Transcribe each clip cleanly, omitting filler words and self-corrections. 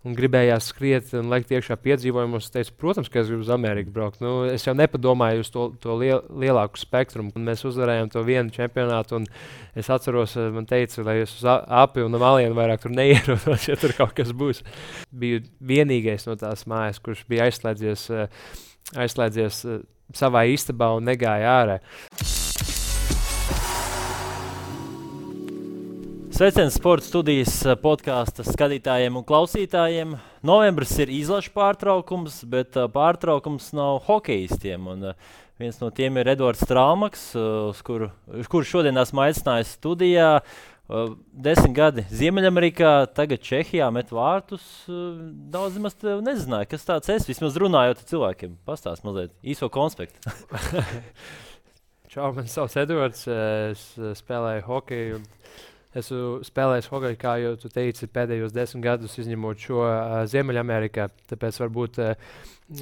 un gribējās skriet un lekt iekšā piedzīvojumos. Es teicu, protams, ka es gribu uz Ameriku braukt. Nu, es jau nepadomāju uz to lielāku spektrumu. Un mēs uzvarējām to vienu čempionātu, un es atceros, man teica, lai es uz Api un Malienu vairāk tur neierodos, ja tur kaut kas būs. Biju vienīgais no tās mājas, kurš bija aizslēdzies savā istabā un negāja ārā. Sveiciens Sporta studijas podkāsta skatītājiem un klausītājiem. Novembris ir izlašu pārtraukums, bet pārtraukums nav hokejistiem. Un, viens no tiem ir Edvards Strālmaks, kuru šodien esmu aicinājis studijā. 10 gadi Ziemeļamerikā, tagad Čehijā met vārtus. Daudz maz nezināju, kas tāds es. Vismaz runājot ar cilvēkiem. Pastāst mazliet īso konspektu. Čau, man sauc Edvards. Es spēlēju hokeju. Esmu spēlējis hokeju, kā jau tu teici, pēdējos 10 gadus, izņemot šo Ziemeļamerikā. Tāpēc varbūt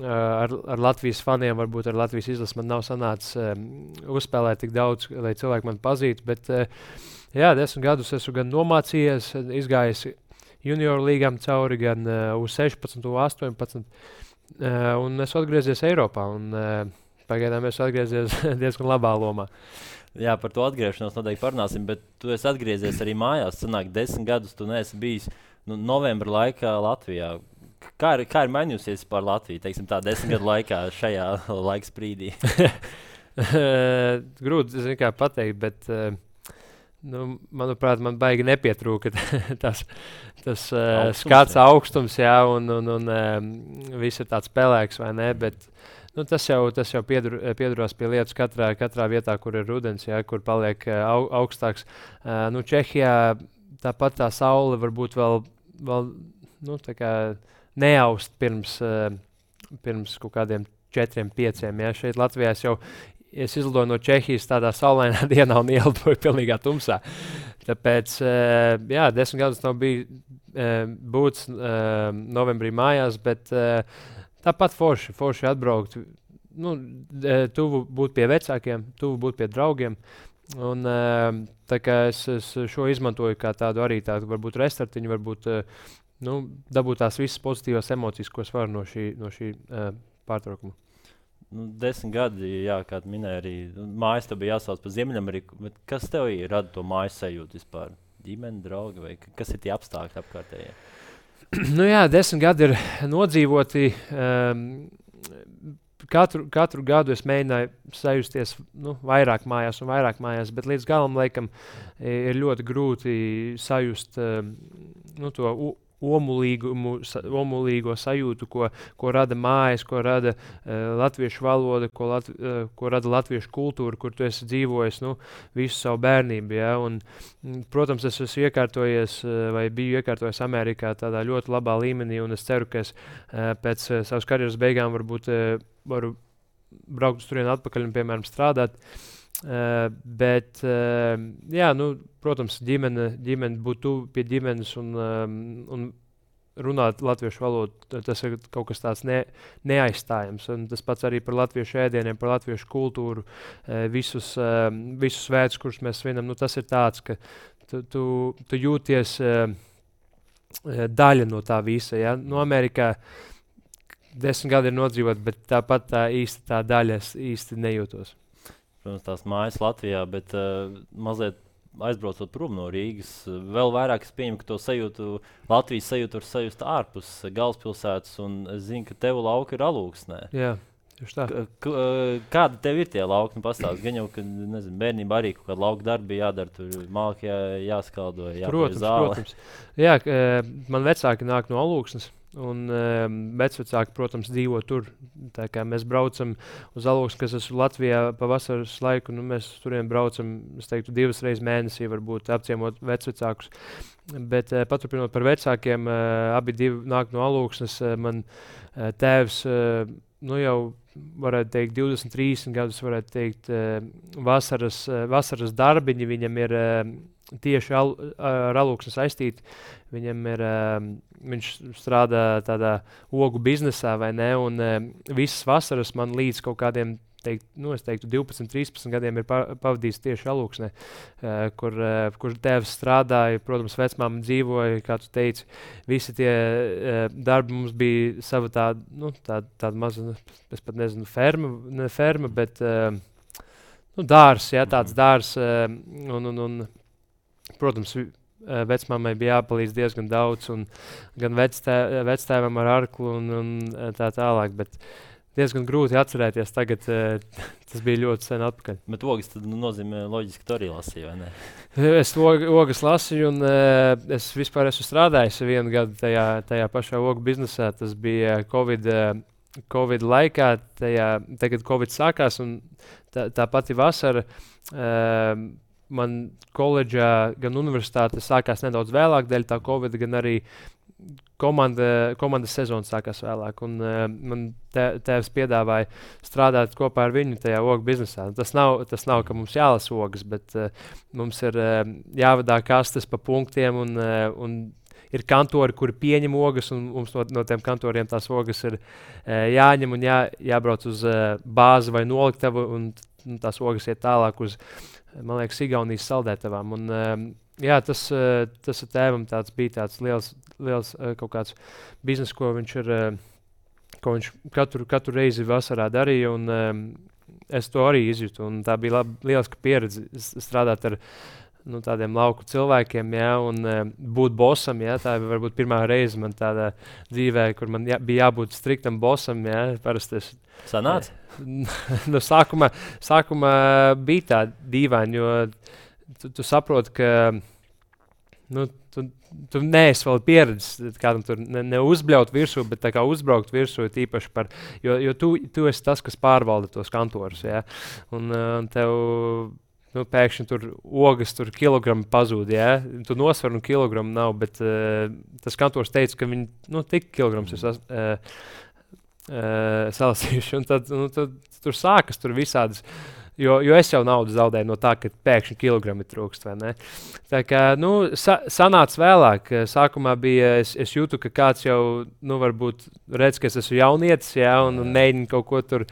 ar Latvijas faniem, varbūt ar Latvijas izlasi man nav sanācis uzspēlēt tik daudz, lai cilvēki man pazītu. Bet jā, 10 gadus esmu gan nomācījies, izgājis junioru līgām cauri, gan uz 16, 18. Un esmu atgriezies Eiropā. Un pagaidām esmu atgriezies diezgan labā lomā. Jā, par to atgriešanos noteikti parunāsim, bet tu esi atgriezies arī mājās. Sanāk, 10 gadus tu neesi bijis novembra laikā Latvijā. Kā ir mainījusies par Latviju, teiksim tā, 10 gadu laikā šajā laika sprīdī? Grūti pateikt, bet manuprāt, man baigi nepietrūka tas skats augstums, jā, un viss ir tāds pelēks, vai ne, bet tas jau piedurās pie lietas katrā vietā, kur ir rudens, jā, kur paliek augstāks. Čehijā tāpat tā saule varbūt vēl tā kā neaust pirms kaut kādiem 4-5. Jā. Šeit Latvijā es izlidoju no Čehijas tādā saulainā dienā un ielidoju pilnīgā tumsā. Tāpēc, 10 gadus nav būts novembrī mājās, bet tāpat forši atbraukt, tuvu būt pie vecākiem, tuvu būt pie draugiem. Un, tā kā es šo izmantoju kā tādu arī tādu varbūt restartiņu, varbūt dabūt tās visas pozitīvās emocijas, ko es varu no šī pārtraukuma. 10 gadi, jā, kā tu minēji, arī mājas tev bija jāsauc par Ziemeļameriku, bet kas tev rada to mājas sajūtu vispār? Ģimene, draugi vai kas ir tie apstākļi apkārtējie? 10 gadi ir nodzīvoti. Katru gadu es mēģināju sajusties vairāk mājās, bet līdz galam laikam ir ļoti grūti sajust to omulīgo sajūtu, ko rada mājas, ko rada latviešu valoda, ko rada latviešu kultūra, kur tu esi dzīvojis visu savu bērnību. Ja? Un, protams, es esmu biju iekārtojies Amerikā tādā ļoti labā līmenī, un es ceru, ka es pēc savas karjeras beigām varbūt varu braukt uz turieni atpakaļ un, piemēram, strādāt. Bet, protams, ģimene būt tuvu pie ģimenes un runāt latviešu valodu, tas ir kaut kas tāds neaizstājams. Un tas pats arī par latviešu ēdieniem, par latviešu kultūru, visus svētkus, kurus mēs svinam. Tas ir tāds, ka tu jūties daļa no tā visa. Ja? Amerikā 10 gadi ir nodzīvot, bet tāpat tā daļa es īsti nejūtos. Protams, tās mājas Latvijā, bet mazliet aizbraucot prom no Rīgas, vēl vairāk es pieņemu, ka to sajūtu, Latvijas sajūtu var sajust ārpus galvaspilsētas, un es zinu, ka tev lauka ir Alūksnē. Jā, tieši tā. Kādi tev ir tie lauki? Pastāst, gan jau, ka bērnībā arī kaut kāda lauka darbi jādara, tur malki jāskaldo, jāpēc zāle. Protams. Jā, man vecāki nāk no Alūksnes. Un vecvecāki, protams, dzīvo tur. Tā kā mēs braucam uz Alūksni, kas esmu Latvijā pa vasaras laiku, mēs turien braucam, es teiktu, 2 reizes mēnesī, varbūt apciemot vecvecākus. Bet paturpinot par vecākiem, abi nāk no Alūksnes. Man tēvs, jau varētu teikt 23 gadus, varētu teikt vasaras darbiņi, viņam ir tieši ar Alūksni saistīti. Viņš strādā tādā ogu biznesā, vai ne? Un visas vasaras man līdz kaut kādiem teiktu 12, 13 gadiem ir pavadījis tieši Alūksnē, kur tēvs strādāja, protams, vecmāma dzīvoja, kā tu teici. Visi tie darbi mums bija sava tāda maza, es pat nezinu, ferma, bet dārs, jā, tāds dārs. Un, protams, vecmāmai bija jāpalīdz diezgan daudz, un gan vectēvam ar arklu un tā tālāk. Bet diezgan grūti atcerēties tagad, tas bija ļoti sen atpakaļ. Bet ogas tad nozīmē loģiski, ka tu arī lasīji, vai ne? Es ogas lasīju, un es vispār esmu strādājis 1 gadu tajā pašā ogu biznesā. Tas bija Covid laikā, tagad Covid sākās, un tā pati vasara. Man koledžā, gan universitāte sākās nedaudz vēlāk dēļ tā Covid, gan arī komandas sezona sākās vēlāk. Un, man tēvs piedāvāja strādāt kopā ar viņu tajā ogu biznesā. Tas nav, ka mums jālasa ogas, bet mums ir jāvadā kastes pa punktiem, un ir kantori, kuri pieņem ogas, un mums no tiem kantoriem tās ogas ir jāņem un jābrauc uz bāzi vai noliktavu, un tās ogas iet tālāk uz, man liekas, Igaunijas saldētavām. Un, jā, tas ar tēvam bija tāds liels kaut kāds biznes, ko viņš katru reizi vasarā darīja, un es to arī izjūtu. Un tā bija lieliska pieredze strādāt ar tādiem lauku cilvēkiem, jā, un būt bosam. Jā, tā varbūt pirmā reize man tādā dzīvē, kur man bija jābūt striktam bosam. Jā, parasti es sanāca? Sākumā bija tā dīvaini, jo tu saproti, ka tu neesi vēl pieredzis kādam tur neuzbļaut virsū, bet tā kā uzbraukt virsū tīpaši jo tu esi tas, kas pārvalda tos kantorus, jā, un tev pēkšņi tur ogas, tur kilogrami pazūd, jā, tu nosver un kilogramu nav, bet tas kantors teica, ka viņi, tik kilograms ir salasījuši, un tad tur sākas tur visādas, jo es jau naudu zaudēju no tā, ka pēkšņi kilogrami trūkst, vai ne? Tā kā, sanāca vēlāk. Sākumā bija, es jūtu, ka kāds jau, varbūt redz, ka es esmu jaunietis, jā, un mēģina kaut ko tur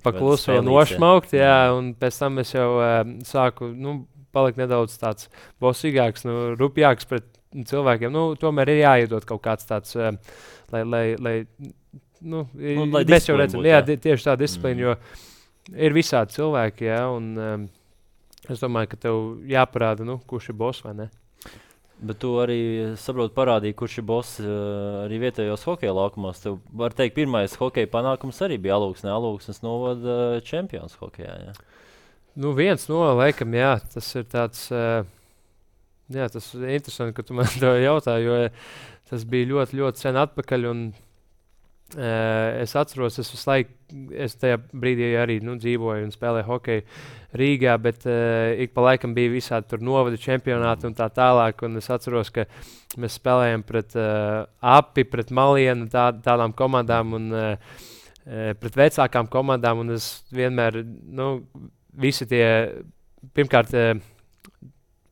paklusu vēl nošmaukt, jā, un pēc tam es jau sāku, palikt nedaudz tāds bosīgāks, rupjāks pret cilvēkiem. Tomēr ir jāiedod kaut kāds tāds, lai mēs jau redzam, jā, tieši tā disciplīna, jo ir visādi cilvēki, jā, un es domāju, ka tev jāparāda, kurš ir boss vai ne. Bet tu arī, saproti, parādīji, kurš ir boss arī vietējos hokeja laukumos. Tev, var teikt, pirmais hokeja panākums arī bija Alūksnes novada čempions hokejā, jā? Viens no, laikam, jā, tas ir tāds, jā, tas ir interesanti, ka tu man to jautā, jo tas bija ļoti, ļoti sen atpakaļ, un es atceros, es tajā brīdī arī dzīvoju un spēlēju hokeju Rīgā, bet ik pa laikam bija visādi tur novada čempionāti un tā tālāk, un es atceros, ka mēs spēlējam pret Api, pret Malienu, tādām komandām un pret vecākām komandām, un es vienmēr, visi tie, pirmkārt,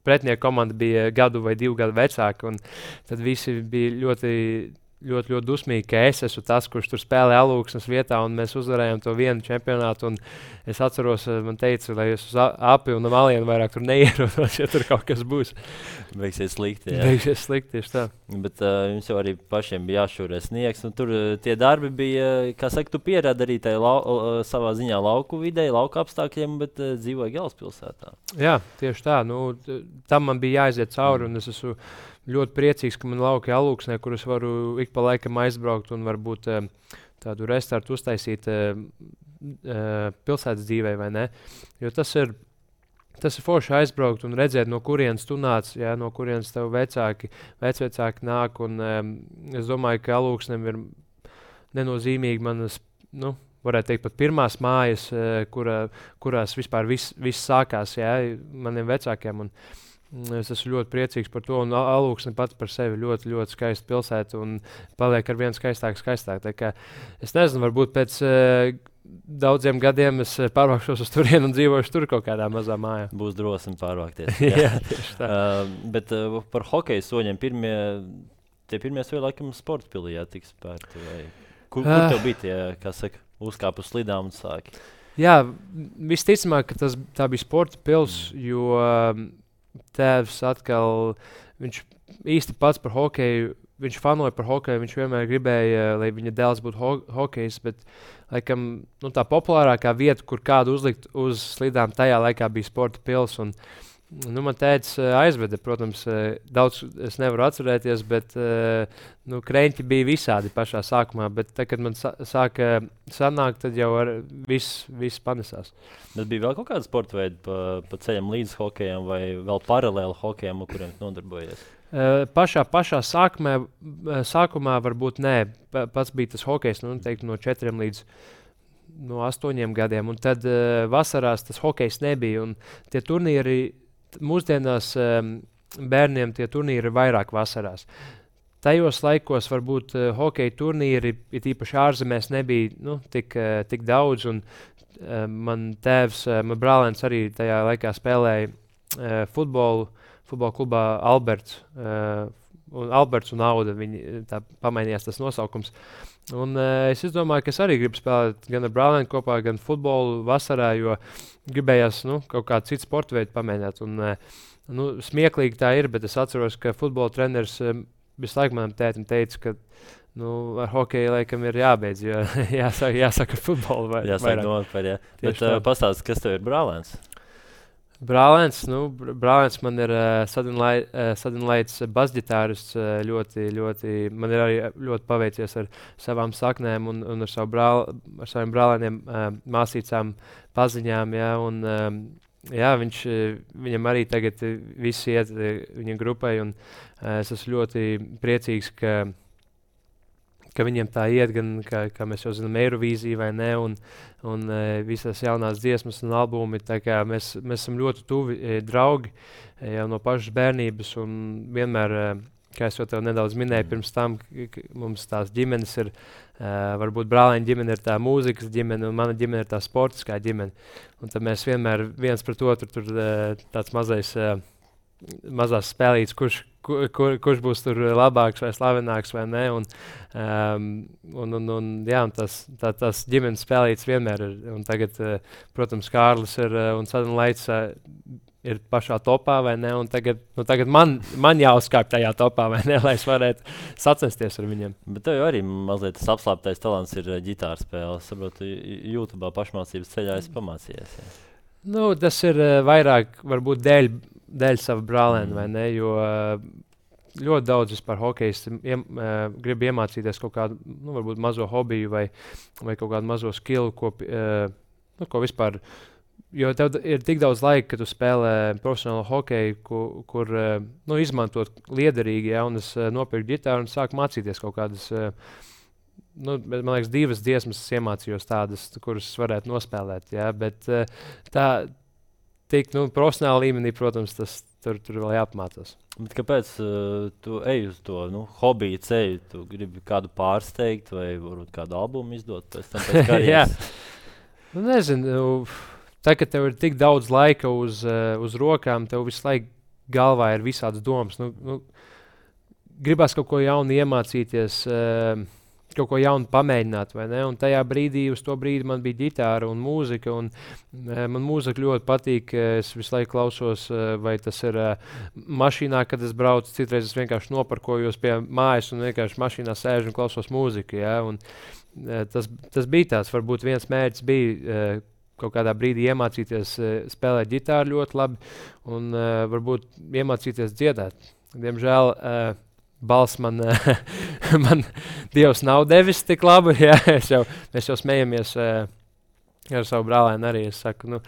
pretinieku komanda bija 1 vai 2 gadu vecāki, un tad visi bija ļoti dusmīgi, ka es esmu tas, kurš tur spēlē Alūksnes vietā, un mēs uzvarējām to vienu čempionātu, un es atceros, man teica, lai es uz Api un Malienu vairāk tur neierodos, ja tur kaut kas būs. Beigsies slikti, jā. Beigsies slikti, tieši tā. Bet jums jau arī pašiem bija jāšūrē sniegs, un tur tie darbi bija, kā saka, tu pierādi arī savā ziņā lauku vidē, lauku apstākļiem, bet dzīvoja galvaspilsētā. Jā, tieši tā. Tam man bija jāiziet cauri, un es esmu ļoti priecīgs, ka man lauki Alūksnē, kur es varu ik pa laikam aizbraukt un varbūt tādu restartu uztaisīt pilsētas dzīvē, vai ne? Jo tas ir forši aizbraukt un redzēt, no kurienes tu nāc, jā, no kurienes tev vecvecāki nāk, un es domāju, ka Alūksnem ir nenozīmīgi manas, varētu teikt, pat pirmās mājas, kurās vispār viss sākās, jā, maniem vecākiem, un es esmu ļoti priecīgs par to, un Alūksne pats par sevi ļoti, ļoti skaista pilsēta un paliek ar vien skaistāk. Tā kā es nezinu, varbūt pēc daudziem gadiem es pārvākšos uz turienu un dzīvošu tur kaut kādā mazā mājā. Būs drosmi pārvākties. Jā, tieši tā. Bet par hokeja soļiem tie pirmie soļi laikam sporta pilī jātiks spērti. Kur tev bija tie, kā saka, uzkāp uz slidām un sāki? Jā, visticamāk, ka tā bija sporta pils, jo tēvs atkal, viņš īsti pats par hokeju, viņš fanoja par hokeju, viņš vienmēr gribēja, lai viņa dēls būtu hokejs, bet laikam, tā populārākā vieta, kur kādu uzlikt uz slidām, tajā laikā bija sporta pils. Un, man tētis aizveda, protams, daudz es nevaru atcerēties, bet kreņķi bija visādi pašā sākumā, bet tad, kad man sāka sanākt, tad jau viss panesās. Bet bija vēl kaut kāda sporta veida pa ceļam līdz hokejam vai vēl paralēli hokejam, ar kuriem nodarbojies? Pašā sākumā varbūt nē, pats bija tas hokejs, teiktu, no 4 līdz 8 gadiem, un tad vasarās tas hokejs nebija, un tie turnīri mūsdienās bērniem tie turnīri ir vairāk vasarās. Tajos laikos varbūt hokeja turnīri, it īpaši ārzemēs, nebija tik daudz. Un, man tēvs, man brālēns arī tajā laikā spēlēja futbolu klubā Alberts. Alberts un Auda, viņi tā pamainījās tas nosaukums. Un, es domāju, ka es arī gribu spēlēt gan ar brālēnu kopā, gan futbolu vasarā, jo gribējās kaut kādu citu sporta veidu pamēģināt. Un, smieklīgi tā ir, bet es atceros, ka futbola treneris visu laiku manam tētim teica, ka ar hokeju laikam ir jābeidz, jo jāsaka futbolu jāsaka nopietni, jā. Bet pastāsti, kas tev ir brālēns? Brālēns man ir sadinlaids basģitārists, ļoti, man ir arī ļoti paveicies ar savām saknēm un ar saviem brālēniem, māsīcām, paziņām, jā, un viņam arī tagad viss iet viņa grupai, un es esmu ļoti priecīgs, ka viņiem tā iet, gan, kā mēs jau zinām, Eirovīzija vai ne, un visas jaunās dziesmas un albumi, tā kā mēs esam ļoti tuvi draugi jau no pašas bērnības, un vienmēr, kā es jau tev nedaudz minēju pirms tam, mums tās ģimenes ir, varbūt brālēņa ģimene ir tā mūzikas ģimene, un mana ģimene ir tā sportiskā ģimene, un tad mēs vienmēr viens pret otru tur tāds mazās spēlītes, kurš būs tur labāks vai slavenāks vai ne, un tas ģimenes spēlītes vienmēr ir, un tagad, protams, Kārlis un Sadunlaits ir pašā topā vai ne, un tagad man jāuzkāp tajā topā vai ne, lai es varētu sacensties ar viņiem. Bet tev jau arī mazliet tas apslāptais talants ir ģitāra spēle, saprotu, YouTube'ā pašmācības ceļā esi pamācījies. Ja? Tas ir vairāk varbūt dēļ sava brālēna, vai ne, jo ļoti daudz vispār hokejs grib iemācīties kaut kādu, varbūt mazo hobiju vai kaut kādu mazo skillu, ko vispār, jo tev ir tik daudz laika, ka tu spēlē profesionālu hokeju, kur izmantot liederīgi, ja, un es nopirku ģitāru un sāku mācīties kaut kādas, man liekas, 2 dziesmas iemācījos tādas, kuras varētu nospēlēt, ja, bet tā tik profesionāla līmenī, protams, tas tur vēl jāapmācās. Bet kāpēc tu ej uz to hobiju ceļu? Tu gribi kādu pārsteigt vai varbūt kādu albumu izdot pēc tam pēc karjeras? Jā, nezinu, tā, ka tev ir tik daudz laika uz rokām, tev visu laiku galvā ir visādas domas. Gribās kaut ko jaunu iemācīties, kaut ko jaunu pamēģināt, vai ne? Un tajā brīdī, uz to brīdi man bija ģitāra un mūzika, un man mūzika ļoti patīk, es visu laiku klausos, vai tas ir mašīnā, kad es braucu, citreiz es vienkārši noparkojos pie mājas un vienkārši mašīnā sēžu un klausos mūziku, ja? Un tas bija tāds, varbūt viens mērķis bija kaut kādā brīdī iemācīties spēlēt ģitāru ļoti labi un varbūt iemācīties dziedāt. Diemžēl balss man Dievs nav devis tik labu, ja? Mēs jau smejamies ar savu brālēnu arī. Es saku,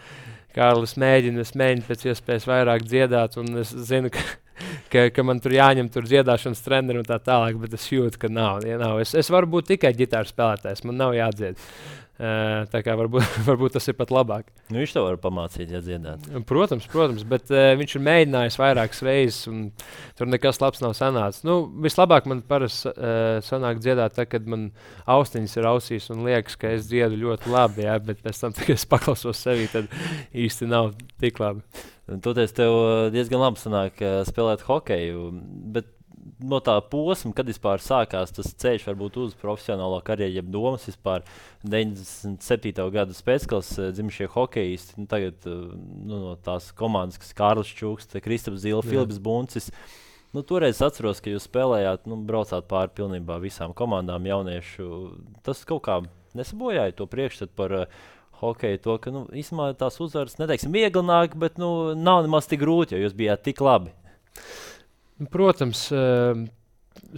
Kārlis, es mēģinu pēc iespējas vairāk dziedāt, un es zinu, ka man tur jāņem dziedāšanas treneri un tā tālāk, bet es jūtu, ka nav. Es varu būt tikai ģitāras spēlētājs, man nav jādzied. Tā kā varbūt tas ir pat labāk. Viņš tev var pamācīt, ja dziedāt. Protams, bet viņš ir mēģinājis vairākas reizes, un tur nekas labs nav sanācis. Vislabāk man parasti sanāk dziedāt, tad, kad man austiņas ir ausīs un liekas, ka es dziedu ļoti labi, ja, bet pēc tam, kad es paklausos sevī, tad īsti nav tik labi. Toties tev diezgan labi sanāk spēlēt hokeju, bet no tā posma, kad vispār sākās tas ceļš varbūt uz profesionālo karjeru, jeb domas vispār 97. gada pēcklases dzimušie hokejisti, tagad no tās komandas, kas Kārlis Čūks, Kristaps Zila, Filips Buncis. Toreiz atceros, ka jūs spēlējāt, braucāt pāri pilnībā visām komandām jauniešu. Tas kaut kā nesabojāja to priekšstatu par hokeju, to, ka īstenībā tās uzvaras, neteiksim, vieglāk, bet nav nemaz tik grūti, jo jūs bijāt tik labi. Protams,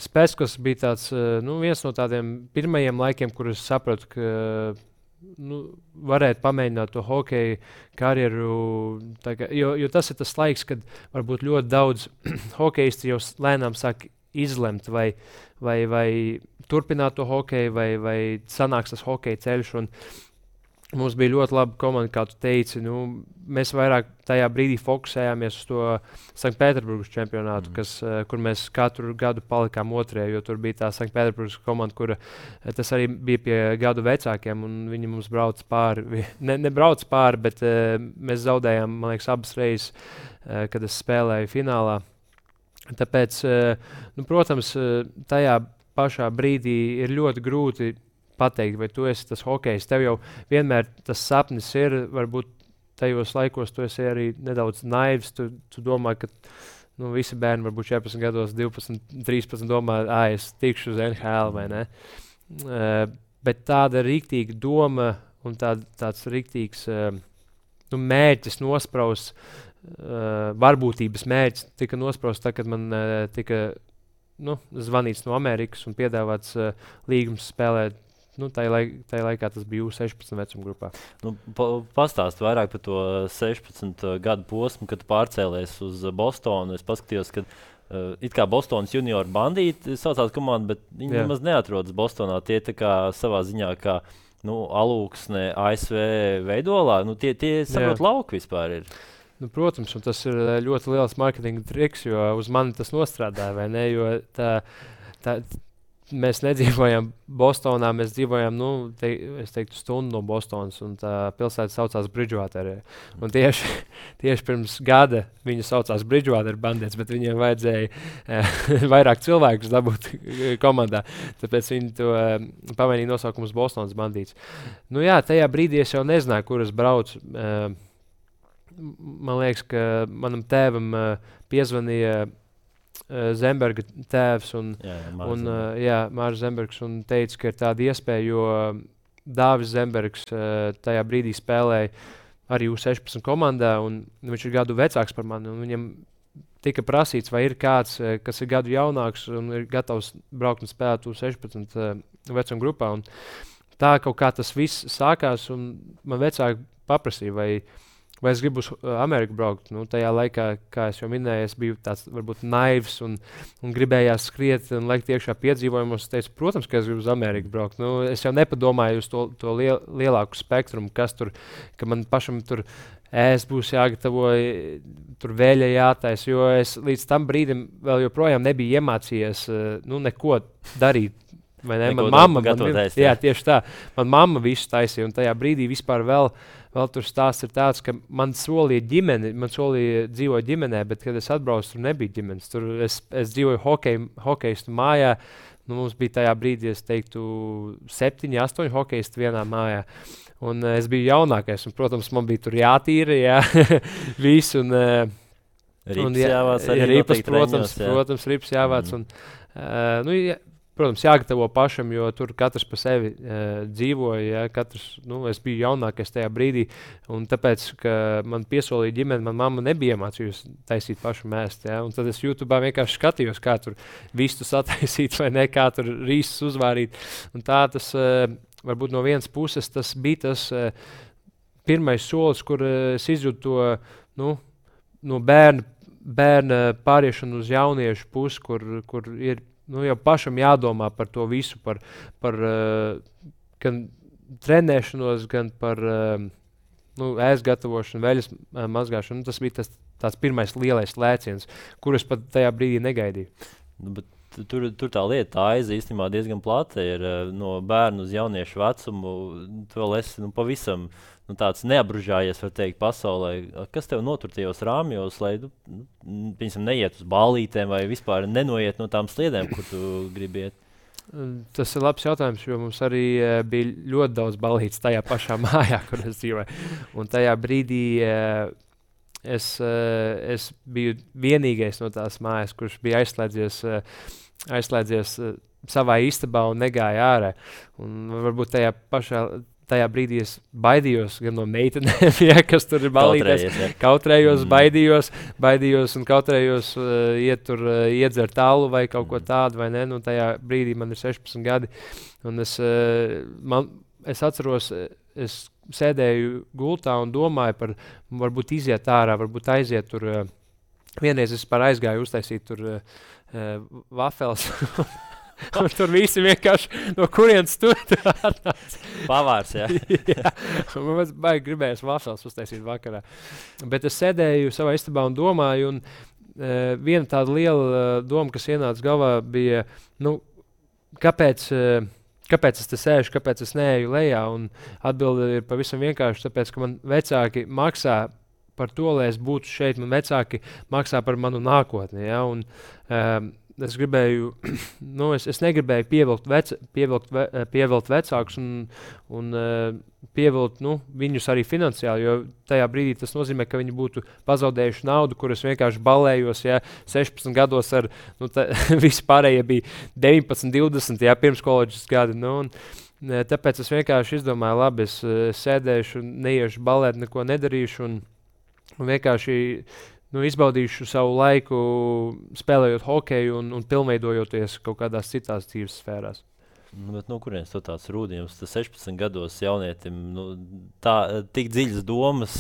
Spēckas bija tāds, viens no tādiem pirmajiem laikiem, kur es sapratu, ka varētu pamēģināt to hokeju karjeru. Jo tas ir tas laiks, kad varbūt ļoti daudz hokeisti jau lēnām sāk izlemt, vai turpināt to hokeju, vai sanāks tas hokeja ceļš. Mums bija ļoti laba komanda, kā tu teici. Mēs vairāk tajā brīdī fokusējāmies uz to Sanktpēterburgas čempionātu, kur mēs katru gadu palikām otrajā, jo tur bija tā Sanktpēterburgas komanda, kur tas arī bija pie gadu vecākiem, un viņi mums brauc pāri. Nebrauc pāri, bet mēs zaudējām, man liekas, abas reizes, kad es spēlēju finālā. Tāpēc, protams, tajā pašā brīdī ir ļoti grūti pateikt, vai tu esi tas hokejs. Tev jau vienmēr tas sapnis ir, varbūt tajos laikos tu esi arī nedaudz naivs. Tu domā, ka visi bērni varbūt 14 gados, 12, 13 domā, es tikšu uz NHL vai ne. Bet tāda rīktīga doma un tāds rīktīgs mērķis nospraust, varbūtības mērķis tika nospraust, kad man tika zvanīts no Amerikas un piedāvāts līgums spēlēt. Tajā laikā tas bija U16 vecuma grupā. Pastāst vairāk par to 16 gadu posmu, kad pārcēlies uz Bostonu. Es paskatījos, ka it kā Bostonas junior bandīti saucās komanda, bet viņi nemaz neatrodas Bostonā. Tie tā kā savā ziņā kā alūksne ASV veidolā. Tie saprot lauku vispār ir. Protams, un tas ir ļoti liels marketinga triks, jo uz mani tas nostrādāja, vai ne? Jo mēs nedzīvojam Bostonā, mēs dzīvojam, es teiktu, stundu no Bostonas, un tā pilsēta saucās Bridgewater. Un tieši pirms gada viņa saucās Bridgewater Bandits, bet viņiem vajadzēja vairāk cilvēkus dabūt komandā. Tāpēc viņi to pamainīja nosaukumu uz Bostonas Bandīts. Tajā brīdī es jau nezināju, kur es braucu. Man liekas, ka manam tēvam piezvanīja Zemberga tēvs un Mārs Zembergs un teica, ka ir tāda iespēja, jo Dāvis Zembergs tajā brīdī spēlēja arī U16 komandā, un viņš ir gadu vecāks par mani, un viņam tika prasīts, vai ir kāds, kas ir gadu jaunāks un ir gatavs braukt un spēlēt U16 vecuma grupā. Un tā kaut kā tas viss sākās, un man vecāki paprasīja, vai es gribu uz Ameriku braukt. Tajā laikā, kā es jau minēju, es biju tāds varbūt naivs un gribējās skriet un liekt iekšā piedzīvojumos. Es teicu, protams, ka es gribu uz Ameriku braukt. Es jau nepadomāju uz to lielāku spektrumu, kas tur, ka man pašam tur būs jāgatavo, tur vēļa jātais, jo es līdz tam brīdim vēl joprojām nebiju iemācījies neko darīt. Man mamma gatavoties. Jā, tieši tā. Man mamma visu taisīja, un tajā brīdī vispār vēl tur stāsts ir tāds, ka man solīja ģimeni, man solīja dzīvot ģimenē, bet, kad es atbraucu, tur nebija ģimenes. Tur es dzīvoju hokejistu mājā. Mums bija tajā brīdī, es teiktu, 7, 8 hokejisti vienā mājā. Un es biju jaunākais, un, protams, man bija tur jātīra, viss. Rips jāvāc arī ripas, protams, rips jāvāc. Un, protams, jāgatavo pašam, jo tur katrs pa sevi dzīvoja. Es biju jaunākais tajā brīdī, un tāpēc, ka man piesolīja ģimene, man mamma nebija iemācījusi taisīt pašu mēst. Un tad es YouTube'ā vienkārši skatījos, kā tur vistu sataisīt vai ne, kā tur rīsus uzvārīt. Un tā tas, varbūt no vienas puses, tas bija tas pirmais solis, kur es izjūtu to no bērna pāriešanu uz jauniešu pusi, kur ir jau pašam jādomā par to visu, par gan trenēšanos, gan par ēst gatavošanu, veļas mazgāšanu. Tas bija tāds pirmais lielais lēciens, kurus pat tajā brīdī negaidīju. Bet tur tā lieta, tā aiza īstenībā diezgan plata ir no bērnu uz jauniešu vecumu. Tu vēl esi pavisam tāds neapbružājies, var teikt, pasaulē. Kas tev notur tajos rāmjos, lai piemēram, neiet uz ballītēm vai vispār nenoiet no tām sliedēm, kur tu gribi iet? Tas ir labs jautājums, jo mums arī bija ļoti daudz ballītes tajā pašā mājā, kur es dzīvoju. Un tajā brīdī es biju vienīgais no tās mājas, kurš bija aizslēdzies savā istabā un negāja ārā. Un varbūt tajā brīdī es baidījos gan no meitenēm, kas tur ir ballītēs. Kautrējos, baidījos un kautrējos iet tur iedzert alu vai kaut ko tādu, vai ne? Tajā brīdī man ir 16 gadi. Un es atceros, es sēdēju gultā un domāju par varbūt iziet ārā, varbūt aiziet tur. Vienreiz es aizgāju uztaisīt tur vafels. Un tur visi vienkārši no kurienes tur atnāca. Pavārs, jā. Jā. Man baigi gribējās vafels uztaisīt vakarā. Bet es sēdēju savā istabā un domāju, un viena tāda liela doma, kas ienāca galvā, bija, kāpēc es te sēžu, kāpēc es neeju lejā? Un atbilde ir pavisam vienkārši, tāpēc, ka man vecāki maksā par to, lai es būtu šeit, man vecāki maksā par manu nākotni. Ja? Un, es gribēju, es negribēju pievilkt vecākus un pievilkt viņus arī finansiāli, jo tajā brīdī tas nozīmē, ka viņi būtu pazaudējuši naudu, kuras vienkārši balējos, 16 gados ar, visi pārējie bija 19, 20, pirms koledžas gadi, tāpēc es vienkārši izdomāju, labi, es sēdēšu, neiešu balēt, neko nedarīšu un vienkārši izbaudīšu savu laiku spēlējot hokeju un pilnveidojoties kaut kādās citās dzīves sfērās. Bet no kurienes tāds rūdījums? Tas 16 gados jaunietim tik dziļas domas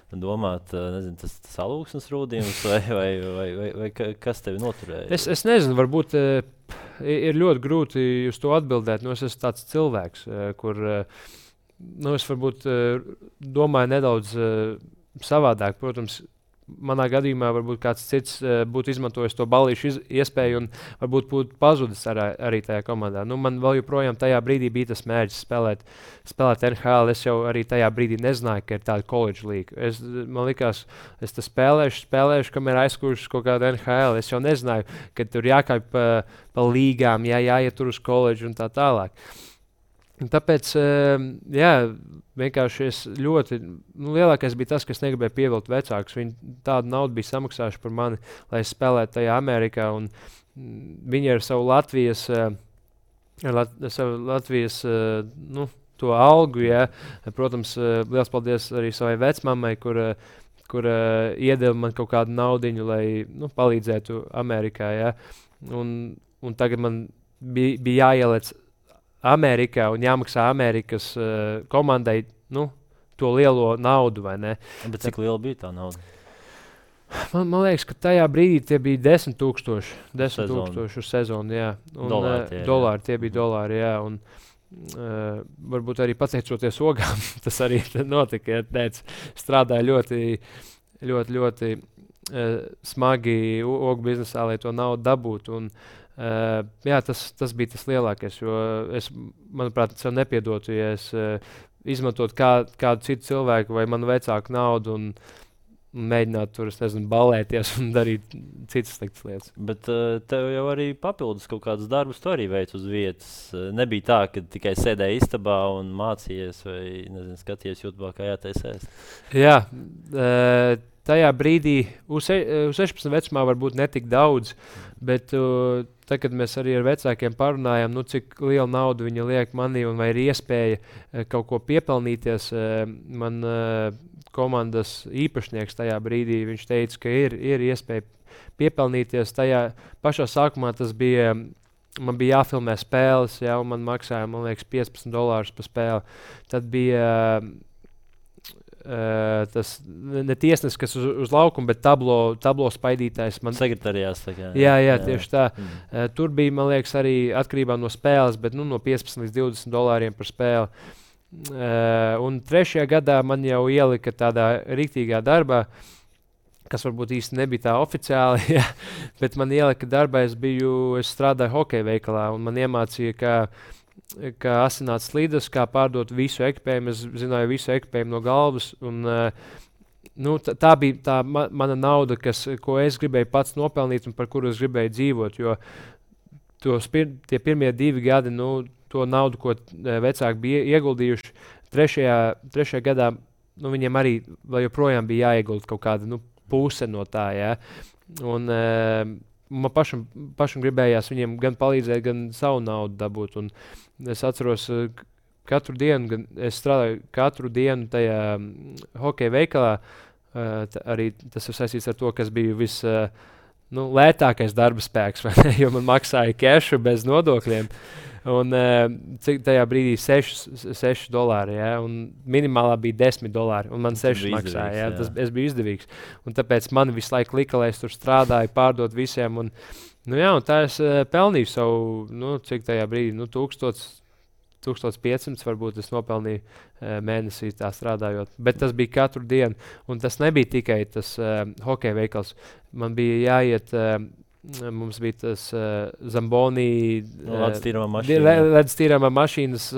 domāt, nezinu, tas alūksnes rūdījums vai kas tevi noturēja? Es nezinu, varbūt ir ļoti grūti uz to atbildēt. Es esmu tāds cilvēks, kur es varbūt domāju nedaudz savādāk, protams. Manā gadījumā varbūt kāds cits būtu izmantojis to ballīšu iespēju un varbūt būtu pazudis arī tajā komandā. Man vēl joprojām tajā brīdī bija tas mērķis spēlēt NHL. Es jau arī tajā brīdī nezināju, ka ir tāda college līga. Man likās, es te spēlēšu, kamēr aizkuršu kaut kādu NHL. Es jau nezināju, ka tur jākāpj pa līgām, jāiet tur uz college un tā tālāk. Un tāpēc, vienkārši es ļoti, lielākais bija tas, ka es negribēju pievilkt vecākus. Viņi tādu naudu bija samaksājuši par mani, lai es spēlētu tajā Amerikā. Un viņi ar savu Latvijas to algu, protams, liels paldies arī savai vecmammai, kur iedeva man kaut kādu naudiņu, lai palīdzētu Amerikā. Un tagad man bija jāielec Amerikā un jāmaksā Amerikas komandai to lielo naudu, vai ne? Bet cik liela bija tā nauda? Man liekas, ka tajā brīdī tie bija 10,000 uz sezonu, jā. Un, dolāri, tie bija dolāri, jā. Un varbūt arī pateicoties ogām, tas arī notika, strādāja ļoti smagi ogu biznesā, lai to naudu dabūtu. Un tas bija tas lielākais, jo es, manuprāt, sev nepiedotu, ja es izmantotu kādu citu cilvēku vai manu vecāku naudu un mēģināt tur, balēties un darīt citas sliktas lietas. Bet tev jau arī papildus kaut kādus darbus tu arī veic uz vietas. Nebija tā, ka tikai sēdēji istabā un mācījies vai, skaties YouTube, kā jātaisēs. Jā, tajā brīdī uz 16 vecumā varbūt netik daudz, bet tad, kad mēs arī ar vecākiem parunājām, cik lielu naudu viņi liek manī un vai ir iespēja kaut ko piepelnīties, man komandas īpašnieks tajā brīdī, viņš teica, ka ir iespēja piepelnīties. Tajā pašā sākumā man bija jāfilmē spēles, un man maksāja, man liekas, $15 par spēli. Tad bija tas ne tiesnesis, kas uz laukuma, bet tablo spaidītājs. Sekretariās. Jā, tieši tā. Tur bija, man liekas, arī atkarībā no spēles, bet no $15 līdz $20 par spēli. Un 3. gadā man jau ielika tādā riktīgā darbā, kas varbūt īsti nebija tā oficiāli, ja, bet man ielika darbā, es strādāju hokeja veikalā, un man iemācīja, kā asināt slīdes, kā pārdot visu ekipējumu. Es zināju visu ekipējumu no galvas, un tā bija mana nauda, ko es gribēju pats nopelnīt un par kuru es gribēju dzīvot, jo tie pirmie 2 gadi, to naudu, ko vecāki bija ieguldījuši, trešajā gadā, viņiem arī vēl joprojām bija jāiegulda kaut kāda puse no tā, ja? Un man pašam gribējās viņiem gan palīdzēt, gan savu naudu dabūt. Un es atceros, katru dienu, es strādāju katru dienu tajā hokeja veikalā. Arī tas ir saistīts ar to, kas bija lētākais darba spēks, jo man maksāja kešu bez nodokļiem. Un cik tajā brīdī $6, ja, un minimālā bija $10, un man 6 maksāja. Ja, es biju izdevīgs. Un tāpēc man visu laiku lika, lai es tur strādāju, pārdot visiem. Un tā es pelnīju savu, cik tajā brīdī, 1500 varbūt es nopelnīju mēnesī tā strādājot. Bet tas bija katru dienu, un tas nebija tikai tas hokeja veikals. Man bija jāiet... Mums bija tas Zamboni ledus tīrāmā mašīnas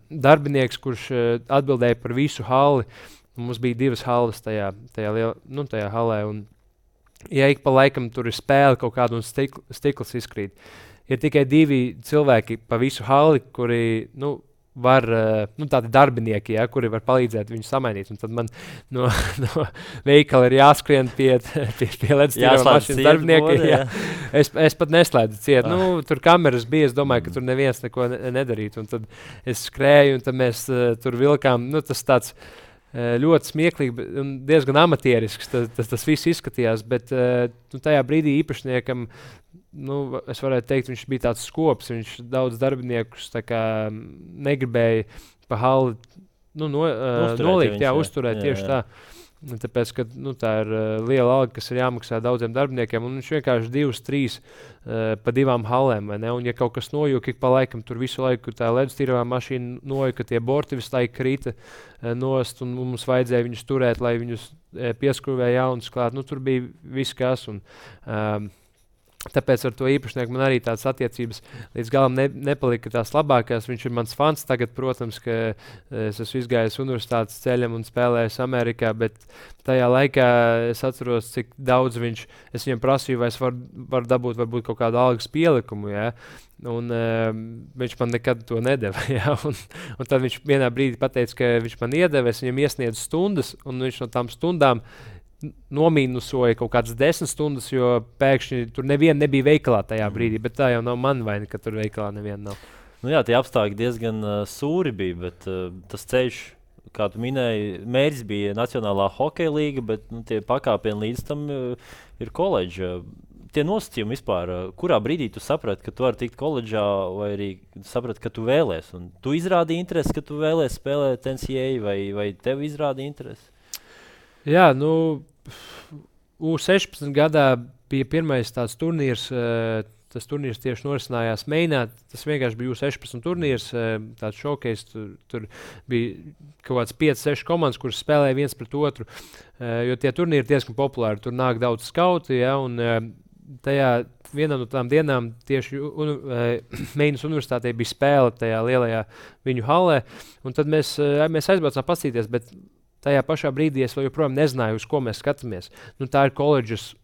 darbinieks, kurš atbildēja par visu halli. Mums bija 2 halles tajā hallē. Un, ja ik pa laikam tur ir spēle kaut kāda un stikls izkrīt, ir tikai 2 cilvēki pa visu halli, kuri var, tādi darbinieki, ja, kuri var palīdzēt viņu samainīt. Un tad man no veikala ir jāskrien pie ledus tīrāmā mašīnas darbiniekiem. Ja. Es pat neslēdzu ciet. Tur kameras bija, es domāju, ka tur neviens neko nedarītu. Un tad es skrēju, un tad mēs tur vilkām. Tas tāds ļoti smieklīgi un diezgan amatierisks. Tas viss izskatījās, bet tajā brīdī īpašniekam, es varētu teikt, viņš bija tāds skops. Viņš daudz darbiniekus negribēja pa halli nolikt, uzturēt tieši tā. Tāpēc, ka tā ir liela alga, kas ir jāmaksā daudziem darbiniekiem, un viņš vienkārši 2-3 pa 2 hallēm, vai ne? Un ja kaut kas nojūk, ik pa laikam tur visu laiku tā ledus tīrāmā mašīna nojuka, tie borti visu laiku krita nost, un mums vajadzēja viņus turēt, lai viņus pieskrūvēja jaunus klāt. Tur bija viss kas, un tāpēc ar to īpašnieku man arī tādas attiecības līdz galam nepalika tās labākās. Viņš ir mans fans tagad, protams, ka es esmu izgājis universitātes ceļam un spēlējis Amerikā, bet tajā laikā es atceros, cik daudz es viņam prasīju, vai es varu dabūt varbūt kaut kādu algas pielikumu, ja? Un viņš man nekad to nedeva. Ja? Un tad viņš vienā brīdī pateica, ka viņš man iedeva, es viņam iesniedzu stundas, un viņš no tām stundām nomīnusoja kaut kādas 10 stundas, jo pēkšņi tur neviena nebija veikalā tajā brīdī, bet tā jau nav mana vaina, ka tur veikalā neviena nav. Jā, tie apstākļi diezgan sūri bija, bet tas ceļš, kā tu minēji, mērķis bija Nacionālā hokeja līga, bet tie pakāpieni līdz tam ir koledža. Tie nosacījumi vispār, kurā brīdī tu saprati, ka tu vari tikt koledžā, vai arī saprati, ka tu vēlies? Un tu izrādīji interesi, ka tu vēlies spēlēt NCAA, vai tev izrādīja interesi? Jā, U16 gadā bija pirmais tāds turnīrs. Tas turnīrs tieši norisinājās Mainā. Tas vienkārši bija U16 turnīrs, tāds šokejs. Tur bija kaut kāds 5-6 komandas, kuras spēlēja viens pret otru. Jo tie turnīri ir diezgan populāri. Tur nāk daudz skauti, ja, un tajā vienā no tām dienām tieši Mainas universitātē bija spēle tajā lielajā viņu hallē. Un tad mēs aizbraucām paskatīties, bet tajā pašā brīdī es vēl joprojām nezināju, uz ko mēs skatāmies. Tā ir koledžas,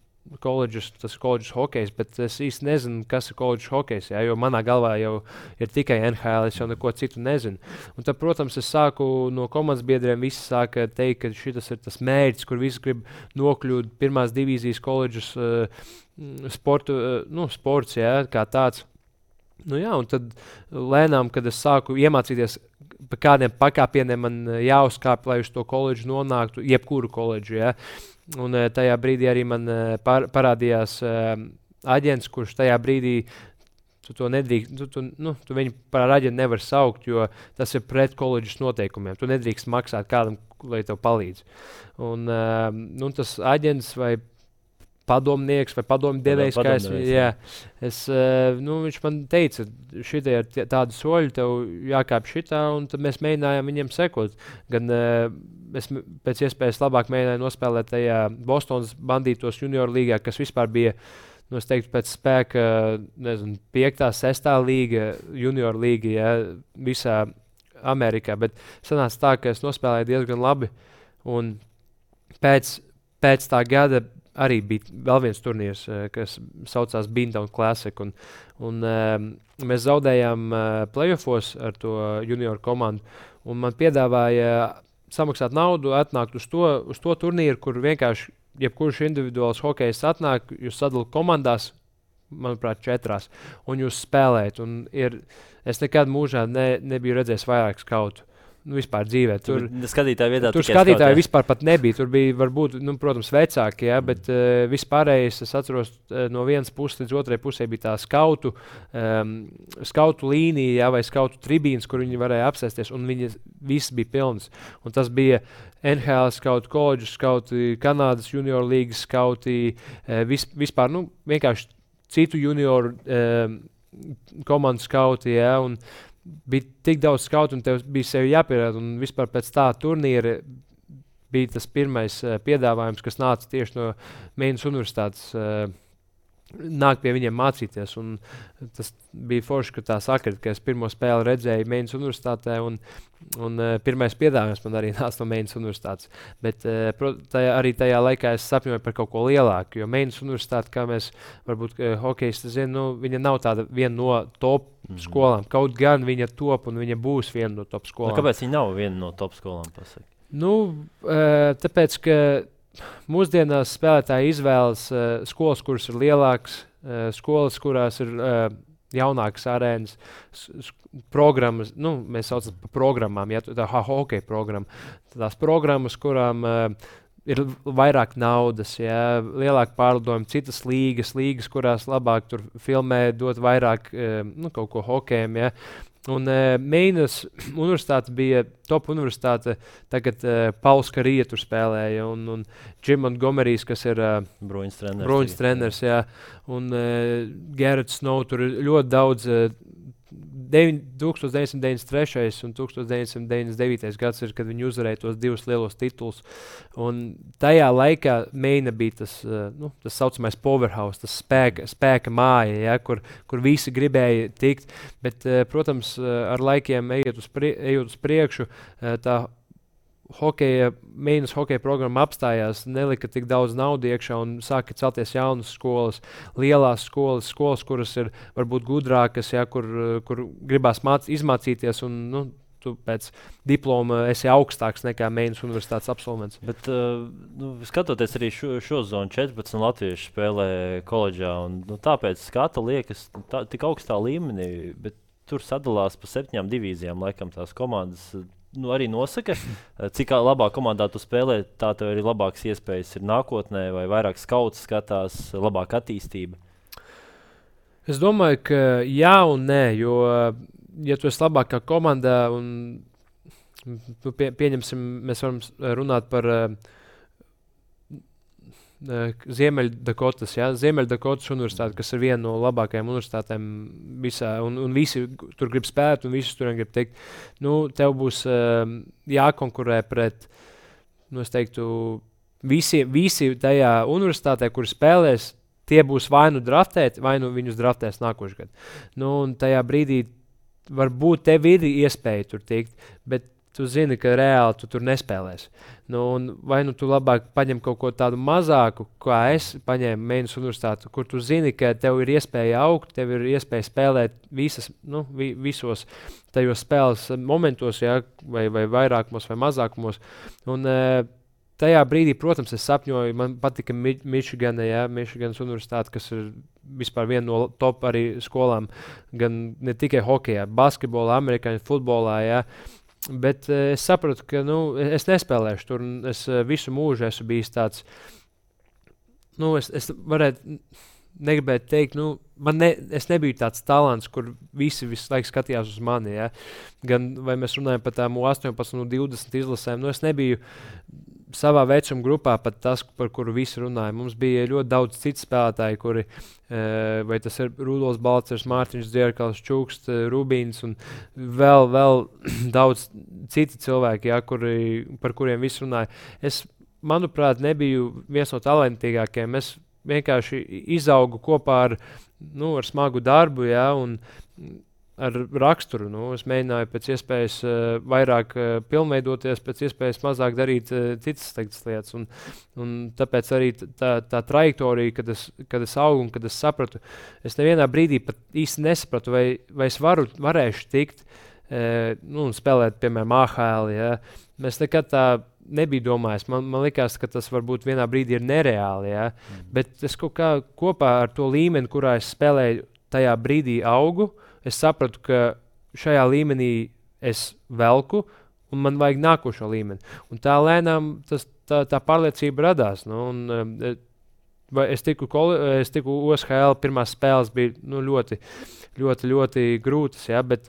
tas ir koledžas hokejs, bet es īsti nezinu, kas ir koledžas hokejs, ja, jo manā galvā jau ir tikai NHL, es jau neko citu nezinu. Un tad, protams, es sāku no komandas biedriem, visi sāka teikt, ka šitas ir tas mērķis, kur visi grib nokļūt pirmās divīzijas koledžas sports, ja, kā tāds. Un tad lēnām, kad es sāku iemācīties, pa kādiem pakāpieniem man jāuzkāp, lai uz to koledžu nonāktu, jebkuru koledžu. Ja? Un tajā brīdī arī man parādījās aģents, kurš tajā brīdī tu to nedrīkst, tu viņu par aģentu nevar saukt, jo tas ir pret koledžas noteikumiem. Tu nedrīkst maksāt kādam, lai tev palīdz. Un tas aģents vai padomnieks vai padomdevējs, kā viņš man teica, šitie ir tādi soļi, tev jākāp šitā, un tad mēs mēģinājām viņiem sekot. Gan es pēc iespējas labāk mēģināju nospēlēt tajā Bostonas bandītos junioru līgā, kas vispār bija, es teiktu, pēc spēka, 5. 6. līga, junioru līga, ja, visā Amerikā, bet sanāca tā, ka es nospēlēju diezgan labi, un pēc tā gada arī bija vēl viens turnīrs, kas saucās Beantown Classic, un mēs zaudējām playoffos ar to junioru komandu, un man piedāvāja samaksāt naudu, atnākt uz to turnīru, kur vienkārši jebkurš individuāls hokejs atnāk, jūs sadalāt komandās, manuprāt, 4, un jūs spēlējat. Es nekad mūžā nebiju redzējis vairāk skautu. Vispār dzīvē. Tur skatītāji vispār pat nebija. Tur bija varbūt, protams, vecāki, ja, bet vispārējais, es atceros, no vienas puses līdz otrai pusē bija tā skautu līnija, ja, vai skautu tribīnas, kur viņi varēja apsēsties, un viņi viss bija pilns. Un tas bija NHL skauti, koledžu skauti, Kanādas junioru līgas skauti, vispār, vienkārši citu junioru komandu skauti, ja, un bija tik daudz skautu, un tev bija sevi jāpierāda, un vispār pēc tā turnīra bija tas pirmais piedāvājums, kas nāca tieši no Meinas universitātes, nāk pie viņiem mācīties, un tas bija forši, ka tā sakrit, ka es pirmo spēli redzēju Meinas universitātē, un pirmais piedāvājums man arī nāca no Meinas universitātes, bet arī tajā laikā es sapņoju par kaut ko lielāku, jo Meinas universitāte, kā mēs varbūt hokejisti zinām, viņa nav tāda viena no top skolām, kaut gan viņa top un viņa būs viena no top skolām. Kāpēc viņa nav viena no top skolām, pasaka? Tāpēc, ka mūsdienās spēlētāji izvēlas skolas, kuras ir lielākas, skolas, kurās ir jaunākas arēnas, programmas, mēs saucam par programmām, ja, tā hokeja programma. Tās programmas, kurām ir vairāk naudas, ja, lielāka pārlidojuma, citas līgas, kurās labāk tur filmē, dot vairāk kaut ko hokejam, ja. Un Meinas universitāte bija top universitāte, tagad Pauls Karija tur spēlēja, un Jim Montgomerys, kas ir bruņas treneris, jā, un Garrett Snow, tur ir ļoti daudz 1993. Un 1999. gads ir, kad viņi uzvarēja tos 2 lielos titulus. Un tajā laikā Meina bija tas saucamais powerhouse, tas spēka māja, ja, kur visi gribēja tikt. Bet, protams, ar laikiem ejot uz priekšu, tā Meinas hokeja programma apstājās, nelika tik daudz naudu iekšā un sāka celties jaunas skolas, lielās skolas, kuras ir varbūt gudrākas, ja, kur gribās izmācīties un tu pēc diploma esi augstāks nekā Meinas universitātes absolvents. Bet skatoties arī šo zonu, 14 latvieši spēlē koledžā, un tāpēc skata liekas tik augstā līmenī, bet tur sadalās pa 7 divīzijām, laikam tās komandas. Arī nosaka, cik labā komandā tu spēlē, tā tev arī labākas iespējas ir nākotnē, vai vairāk skauts skatās, labāka attīstība? Es domāju, ka jā un nē, jo, ja tu esi labākā komandā, un pieņemsim, mēs varam runāt par Ziemeļdakotas, ja? Ziemeļdakotas universitāte, kas ir viena no labākajām universitātēm visā, un visi tur grib spēt, un visi tur grib teikt, tev būs jākonkurē pret, es teiktu, visi tajā universitātē, kur spēlēs, tie būs vai nu draftēti, vai nu viņus draftēs nākošajā gadā. Un tajā brīdī varbūt tev ir iespēja tur tikt, bet tu zini, ka reāli tu tur nespēlēsi. Vai tu labāk paņem kaut ko tādu mazāku, kā es paņēmu Meinas universitāti, kur tu zini, ka tev ir iespēja augt, tev ir iespēja spēlēt visos tajos spēles momentos, ja, vai vairākumos vai mazākumos. Un tajā brīdī, protams, es sapņoju, man patika Michiganas universitāte, kas ir vispār viena no top arī skolām, gan ne tikai hokejā, basketbolā, amerikāņu futbolā, ja. Bet es sapratu, ka es nespēlēšu tur, un es visu mūžu esmu bijis tāds, es varētu negribētu teikt, es nebiju tāds talants, kur visi visu laiku skatījās uz mani, ja? Gan vai mēs runājam par tām 18 un 20 izlasēm, es nebiju savā vecuma grupā pat tas, par kuru visi runāja. Mums bija ļoti daudz citu spēlētāju, kuri, vai tas ir Rudolfs Balcers, Mārtiņš Dzierkals, Čuksts, Rubīns un vēl daudz citi cilvēki, par kuriem visi runāja. Es, manuprāt, nebiju viens no talantīgākajiem. Es vienkārši izaugu kopā ar smagu darbu, un ar raksturu. Es mēģināju pēc iespējas vairāk pilnveidoties, pēc iespējas mazāk darīt citas lietas. Un tāpēc arī tā trajektorija, kad es augu un kad es sapratu, es nevienā brīdī pat īsti nesapratu, vai es varēšu tikt un spēlēt, piemēram, AHL. Ja? Mēs nekad tā nebija domājis. Man likās, ka tas varbūt vienā brīdī ir nereāli. Ja? Bet es kaut kā kopā ar to līmeni, kurā es spēlēju, tajā brīdī augu, es sapratu, ka šajā līmenī es velku, un man vajag nākošo līmeni. Un tā lēnām tā pārliecība radās. Es tiku OSHL, pirmās spēles bija ļoti, ļoti, ļoti grūtas, ja, bet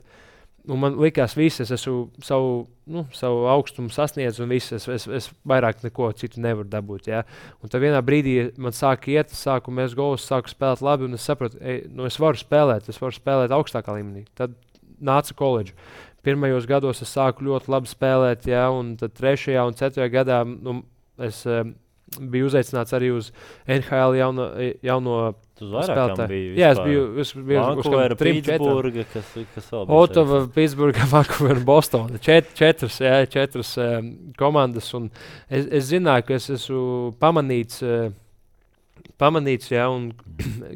man likās, es esmu savu augstumu sasniedzu, un es vairāk neko citu nevaru dabūt. Ja. Un tad vienā brīdī man sāka iet, sāku mest golus, sāku spēlēt labi, un es sapratu, es varu spēlēt augstākā līmenī. Tad nāca koledža. Pirmajos gados es sāku ļoti labi spēlēt, ja, un tad 3. un 4. gadā es biju uzaicināts arī uz NHL jauno spēlētāju. Jā, es biju uz 3-4. Ottava, Pitsburga, Vancouver un Bostona. Četras komandas. Un es zināju, ka es esmu pamanīts, un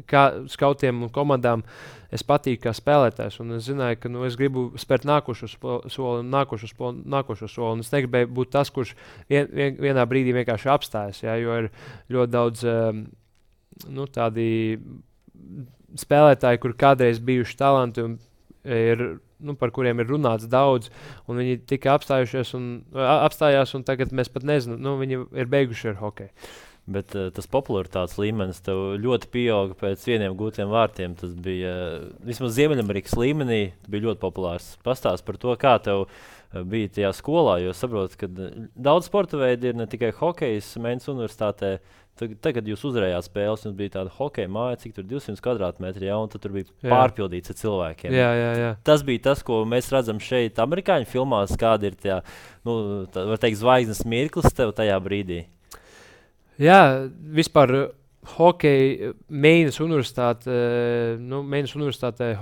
kā skautiem un komandām es patīku kā spēlētājs. Un es zināju, ka es gribu spērt nākošo soli. Un es negribēju būt tas, kurš vienā brīdī vienkārši apstājas. Ja, jo ir ļoti daudz tādi spēlētāji, kur kādreiz bijuši talanti un par kuriem ir runāts daudz, un viņi tika apstājās, un tagad mēs pat nezinām, viņi ir beiguši ar hokeju. Bet tas popularitātes līmenis tev ļoti pieauga pēc vieniem gūtiem vārtiem. Tas bija vismaz Ziemeļamerikas līmenī, bija ļoti populārs. Pastāst par to, kā tev bija tajā skolā, jo saprotu, ka daudz sporta veidi ir ne tikai hokejs Mēnes universitātē. Tagad jūs uzvarējāt spēles, jums bija tāda hokeja māja, cik tur 200 kvadrātmetri, un tur bija pārpildīts ar cilvēkiem. Jā. Tas bija tas, ko mēs redzam šeit amerikāņu filmās, kāda ir tā, var teikt, zvaigznes mirklis tev tajā brīdī. Jā, vispār hokeja Mēnes universitātē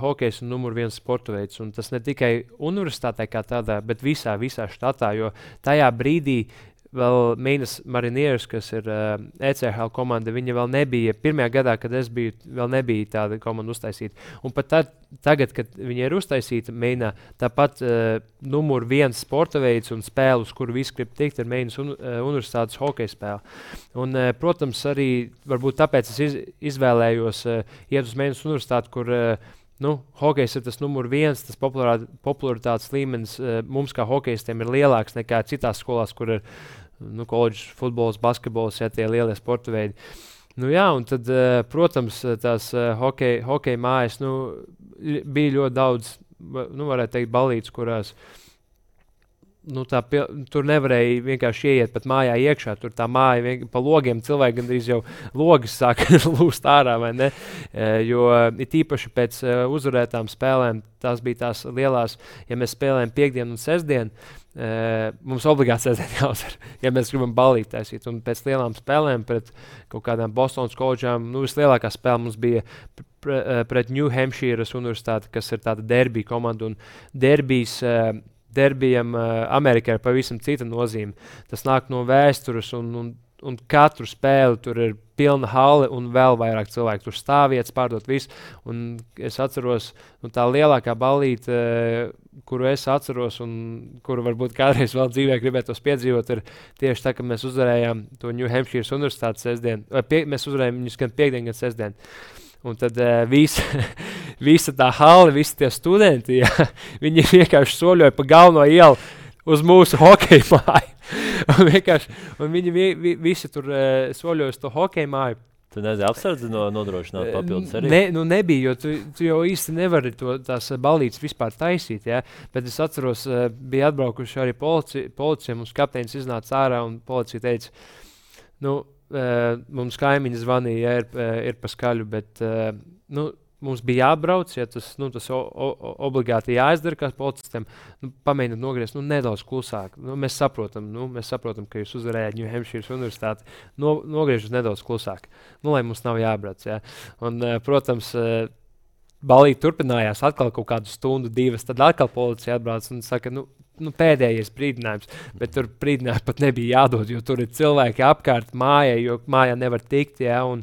hokejs ir numur 1 sporta veids, un tas ne tikai universitātē kā tādā, bet visā štatā, jo tajā brīdī vēl Mēnes Marinieris, kas ir ECHL komanda, viņa vēl nebija, pirmajā gadā, kad es biju, vēl nebija tāda komanda uztaisīta. Un pat tagad, kad viņa ir uztaisīta Mēnā, tāpat numur 1 sporta veids un spēle, uz kuru visi grib tikt, ir Mēnes universitātes hokeja spēle. Un, protams, arī varbūt tāpēc es izvēlējos iet uz Mēnes universitāti, kur hokejs ir tas numur 1, tas popularitātes līmenis mums kā hokejistiem ir lielāks nekā citās skolās, kur ir koledžas futbols, basketbols, tie lielie sporta veidi. Un tad, protams, tās hokeja mājas, bija ļoti daudz, varētu teikt, balītes, kurās tur nevarēja vienkārši ieiet pat mājā iekšā. Tur tā māja pa logiem cilvēki gandrīz jau logas sāk lūst ārā, vai ne? Jo it īpaši pēc uzvarētām spēlēm, tās bija tās lielās, ja mēs spēlējam piekdienu un sestdienu, mums obligāti sestdien jāuzvar, ja mēs gribam balīt taisīt. Un pēc lielām spēlēm pret kaut kādām Bostonas koledžām, vislielākā spēle mums bija pret New Hampshire's universitāti, kas ir tāda derbija komanda, un derbijam Amerikā ir pavisam cita nozīme. Tas nāk no vēstures, un katru spēli tur ir pilna hale un vēl vairāk cilvēku. Tur stāvvietas, pārdot visu. Un es atceros, tā lielākā balīte, kuru es atceros un kuru varbūt kādreiz vēl dzīvē gribētos piedzīvot, ir tieši tā, ka mēs uzvarējām to New Hampshire's universitāti sestdien. Mēs uzvarējām viņus gan piekdien, gan sestdien. Un tad visa tā hale, visi tie studenti, viņi vienkārši soļoja pa galveno ielu uz mūsu hokeja māju. Un viņi visi tur soļoja uz to hokeja māju. Tu nezini, apsardzi nodrošināt papildus arī? Nebija, jo tu jau īsti nevari tās balītes vispār taisīt, ja? Bet es atceros, bija atbraukuši arī policija, mums kapteinis iznāca ārā un policija teica, mums kaimiņi zvanīja, ir pa skaļu, bet, mums bija jābrauc, ja tas obligāti jāizdara kā policistiem, pamēģināt nogriezt nedaudz klusāk. Mēs saprotam, ka jūs uzvarējāt New Hampshire universitāti, nogriežat nedaudz klusāk, lai mums nav jābrauc. Ja. Un, protams, balīte turpinājās atkal kaut kādu stundu, 2, tad atkal policija atbrauc un saka, pēdējais brīdinājums, bet tur brīdinājums pat nebija jādod, jo tur ir cilvēki apkārt mājai, jo mājā nevar tikt, ja, un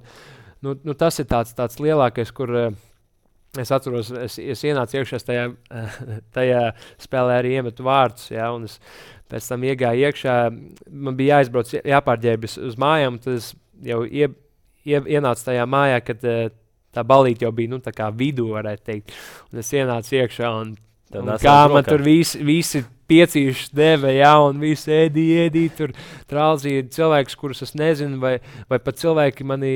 tas ir tāds lielākais, kur es atceros, es ienācu iekšā tajā spēlē arī iemetu vārdus, ja, un es pēc tam iegāju iekšā, man bija jāizbrauc, jāpārģērbjas uz mājām, tad es jau ienācu tajā mājā, kad tā balīte jau bija, tā kā vidū, varētu teikt, un es ienācu iekšā, un kā man tur visi piecīšas deva, ja, un visi ēdī, tur trālzīja cilvēkus, kurus es nezinu, vai pat cilvēki mani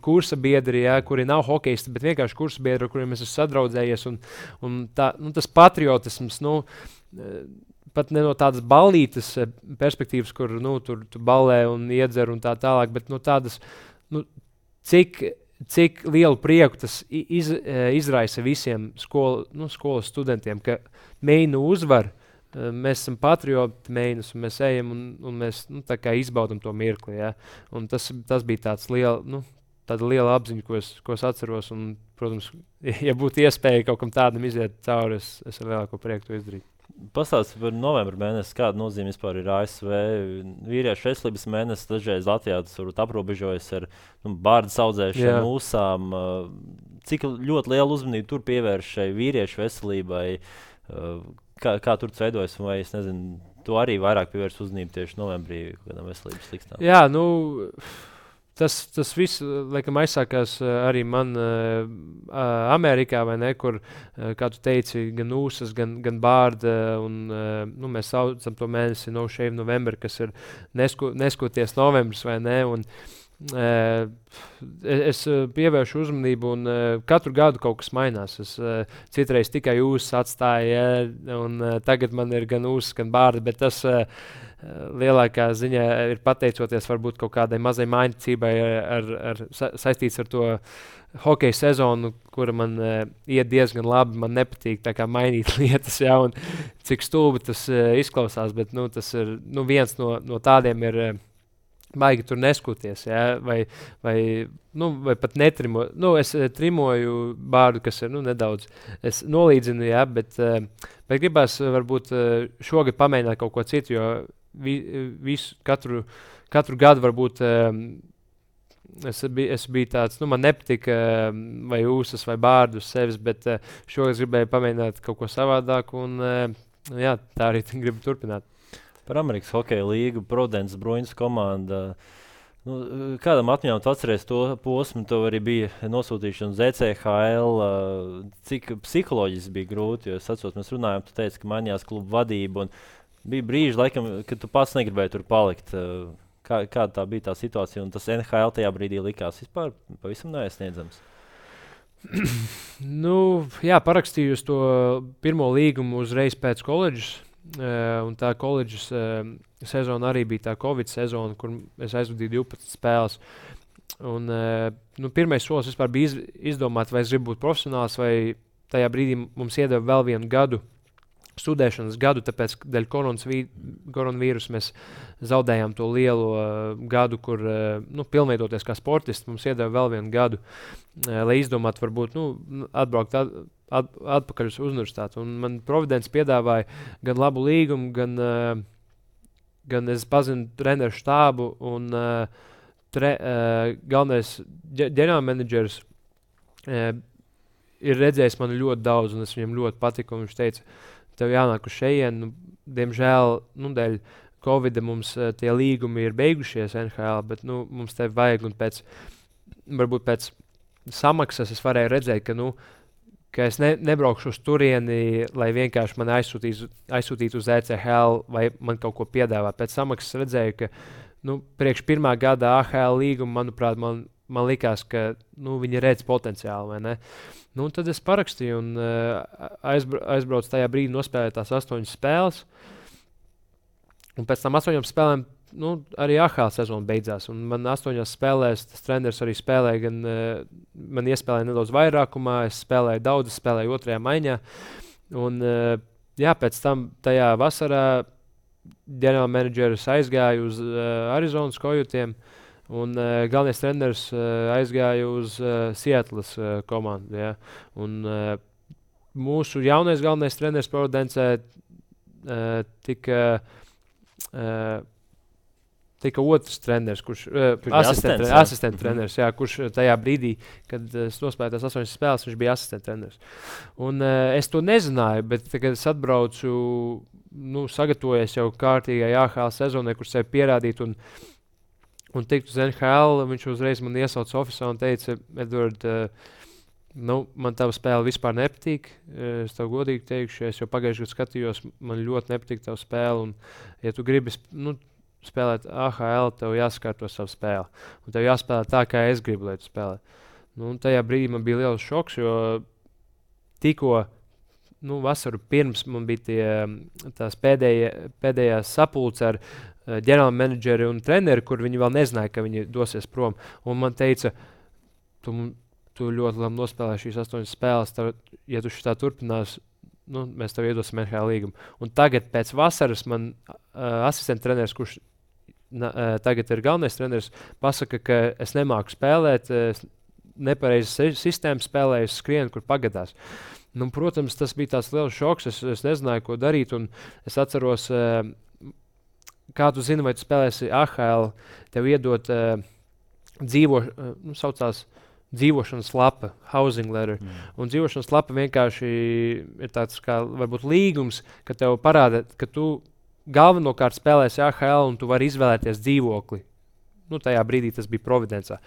kursa biedri, ja, kuri nav hokeisti, bet vienkārši kursa biedri, ar kuriem es esmu sadraudzējies, un tā, tas patriotisms, pat ne no tādas balītes perspektīvas, kur, tu ballē un iedzer un tā tālāk, bet no tādas, cik lielu prieku tas izraisa visiem skolas studentiem, ka Meinu uzvar, mēs esam patrioti Meinus, un mēs ejam un mēs tā kā izbaudam to mirkli. Ja? Un tas bija tāda liela apziņa, ko es atceros, un, protams, ja būtu iespēja kaut kam tādam iziet cauri, es ar lielāko prieku to izdarītu. Pastāsti par novembra mēnesi, kāda nozīme vispār ir ASV vīriešu veselības mēnesis, dažreiz Latvijā tas varbūt aprobežojas ar bārdas audzēšanu, mūsām. Cik ļoti lielu uzmanību tur pievērš šai vīriešu veselībai, kā tur veidojas, vai es nezinu, tu arī vairāk pievērš uzmanību tieši novembrī kādām veselības sliktām? Jā, Tas viss, laikam, aizsākās arī man Amerikā, vai ne, kur, kā tu teici, gan ūsas, gan bārda, un mēs saucam to mēnesi No Shave November, kas ir neskoties novembris, vai ne, un es pievēršu uzmanību, un katru gadu kaut kas mainās. Es citreiz tikai ūsas atstāju, un tagad man ir gan ūsas, gan bārda, bet tas lielākā ziņā ir pateicoties varbūt kaut kādai mazai mainicībai saistīts ar to hokeja sezonu, kura man iet diezgan labi. Man nepatīk tā kā mainīt lietas, ja, un cik stulbi tas izklausās, bet tas ir viens no tādiem ir baigi tur neskoties, ja, vai pat netrimo. Es trimoju bārdu, kas ir nedaudz, es nolīdzinu, ja, bet gribās varbūt šogad pamēģināt kaut ko citu, jo katru gadu varbūt es biju tāds, man nepatika vai ūsas vai bārdu uz sevis, bet šogad gribēju pamēģināt kaut ko savādāku, un jā, tā arī gribu turpināt. Par Amerikas hokeja līgu, Providence Bruins komanda. Kādam atmiņām tu atceries to posmu, tev arī bija nosūtīšana uz ECHL, cik psiholoģiski bija grūti, jo es atceros, mēs runājām, tu teici, ka mainījās klubu vadība, un bija brīži, laikam, kad tu pats negribēji tur palikt. Kāda tā bija tā situācija, un tas NHL tajā brīdī likās vispār pavisam neaizsniedzams? Jā, parakstīju uz to pirmo līgumu uzreiz pēc koledžas. Un tā koledžas sezona arī bija tā Covid sezona, kur es aizvadīju 12 spēles. Un, pirmais solis vispār bija izdomāt, vai es gribu būt profesionāls, vai tajā brīdī mums iedeva vēl vienu gadu, studēšanas gadu, tāpēc dēļ koronavīrusa mēs zaudējām to lielo gadu, kur pilnveidoties kā sportisti, mums iedeva vēl vienu gadu, lai izdomātu varbūt atbraukt atpakaļ uz universitāti. Un man Providence piedāvāja gan labu līgumu, gan es pazinu treneru štābu, un galvenais ģenerālmenedžers ir redzējis mani ļoti daudz, un es viņam ļoti patiku, un viņš teica, tev jānāk uz šejienu, diemžēl, dēļ Covida mums tie līgumi ir beigušies NHL, bet mums tevi vajag, un varbūt pēc samaksas es varēju redzēt, ka es nebraukšu uz turieni, lai vienkārši mani aizsūtītu uz ECHL, vai man kaut ko piedāvā. Pēc samaksas redzēju, ka priekš pirmā gada AHL līguma, manuprāt, man man likās, ka viņi redz potenciālu, vai ne? Nu, tad es parakstīju un aizbraucu tajā brīdī, nospēlēju tās 8 spēles. Un pēc tam 8 spēlēm arī AHL sezona beidzās. Un man 8 spēlēs tas treneris arī spēlēja, gan man iespēlēja nedaudz vairākumā, es spēlēju daudz, es spēlēju 2. maiņā. Un pēc tam tajā vasarā ģenerālmenedžeris aizgāja uz Arizonas Kojutiem. Un galvenais treneris aizgāja uz Sietlas komandu. Ja? Un mūsu jaunais galvenais treneris Providencē tika otrs treneris, kurš asistenta treneris, jā, kurš tajā brīdī, kad es nospēlēju tās 8 spēles, viņš bija asistenta treneris. Un es to nezināju, bet kad es atbraucu, sagatavojies jau kārtīgai AHL sezonai, kur sevi pierādīt un tikt uz NHL, viņš uzreiz man iesauca ofisā un teica, Edvard, man tava spēle vispār nepatīk. Es tev godīgi teikšu, es jau pagājušajā gadā skatījos, man ļoti nepatīk tava spēle. Un, ja tu gribi spēlēt AHL, tev jāsakārto savu spēli. Un tev jāspēlē tā, kā es gribu, lai tu spēlē. Tajā brīdī man bija liels šoks, jo tikko vasaru pirms man bija tās pēdējās sapulces ar ģenerālmenedžeri un treneri, kur viņi vēl nezināja, ka viņi dosies prom. Un man teica, tu ļoti labi nospēlēji šīs 8 spēles, ja tu šitā turpinās, mēs tev iedosim NHL līgumu. Un tagad pēc vasaras man asistenta treneris, kurš tagad ir galvenais treneris, pasaka, ka es nemāku spēlēt, nepareizi sistēmu spēlēju, skrienu, kur pagadās. Protams, tas bija tāds liels šoks, es nezināju, ko darīt, un es atceros, kā tu zini, vai tu spēlēsi AHL, tev iedot saucās dzīvošanas lapa, housing letter. Un dzīvošanas lapa vienkārši ir tāds kā varbūt līgums, ka tev parāda, ka tu galvenokārt spēlēsi AHL un tu vari izvēlēties dzīvokli. Tajā brīdī tas bija Providencā.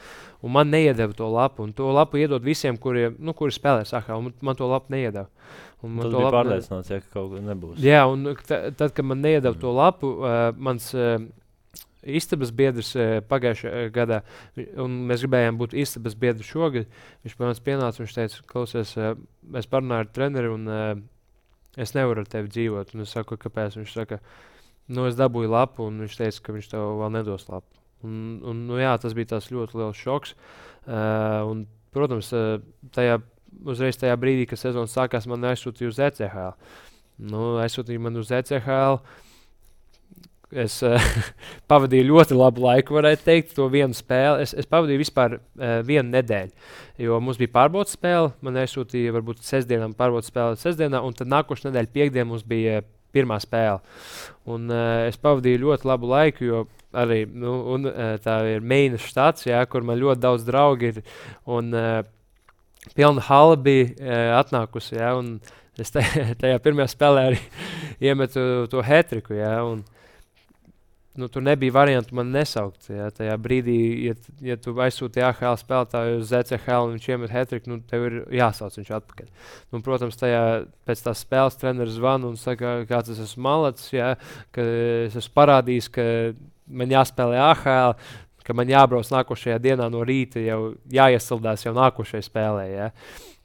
Un man neiedeva to lapu. Un to lapu iedod visiem, kuri spēlēs AHL. Man to lapu neiedeva. Tas bija pārliecināts, ka kaut kas nebūs. Jā, un tad, kad man neiedeva to lapu, mans istabas biedrs pagājušajā gadā, un mēs gribējām būt istabas biedri šogad, viņš pie mums pienāca un viņš teica, klausies, es parunāju ar treneri un es nevaru ar tevi dzīvot. Un es saku, kāpēc? Viņš saka, es dabūju lapu un viņš teica, ka viņš tev vēl nedos lapu. Tas bija tās ļoti liels šoks. Un, protams, uzreiz tajā brīdī, kad sezona sākās, man aizsūtīja uz ECHL. Aizsūtīja man uz ECHL. Es pavadīju ļoti labu laiku, varētu teikt, to vienu spēli. Es pavadīju vispār vienu nedēļu, jo mums bija pārbaudas spēle. Man aizsūtīja varbūt sestdienām pārbaudas spēle sestdienā, un tad nākošais nedēļa piekdien mums bija pirmā spēle. Un es pavadīju ļoti labu laiku, jo arī tā ir Meinas štats, kur man ļoti daudz draugi ir. Un pilna hala bija atnākusi, un es tajā pirmajā spēlē arī iemetu to hat-triku, un tur nebija variantu man nesaukt. Ja? Tajā brīdī, ja tu aizsūti AHL spēlētāju uz ECHL un viņš iemet hat-triku, tev ir jāsauc viņš atpakaļ. Protams, pēc tās spēles treneris zvana un saka, kāds es esmu malacis, ja? Ka es esmu parādījis, ka man jāspēlē AHL, ka man jābrauc nākošajā dienā no rīta, jau jāiesildās jau nākošajā spēlē. Ja?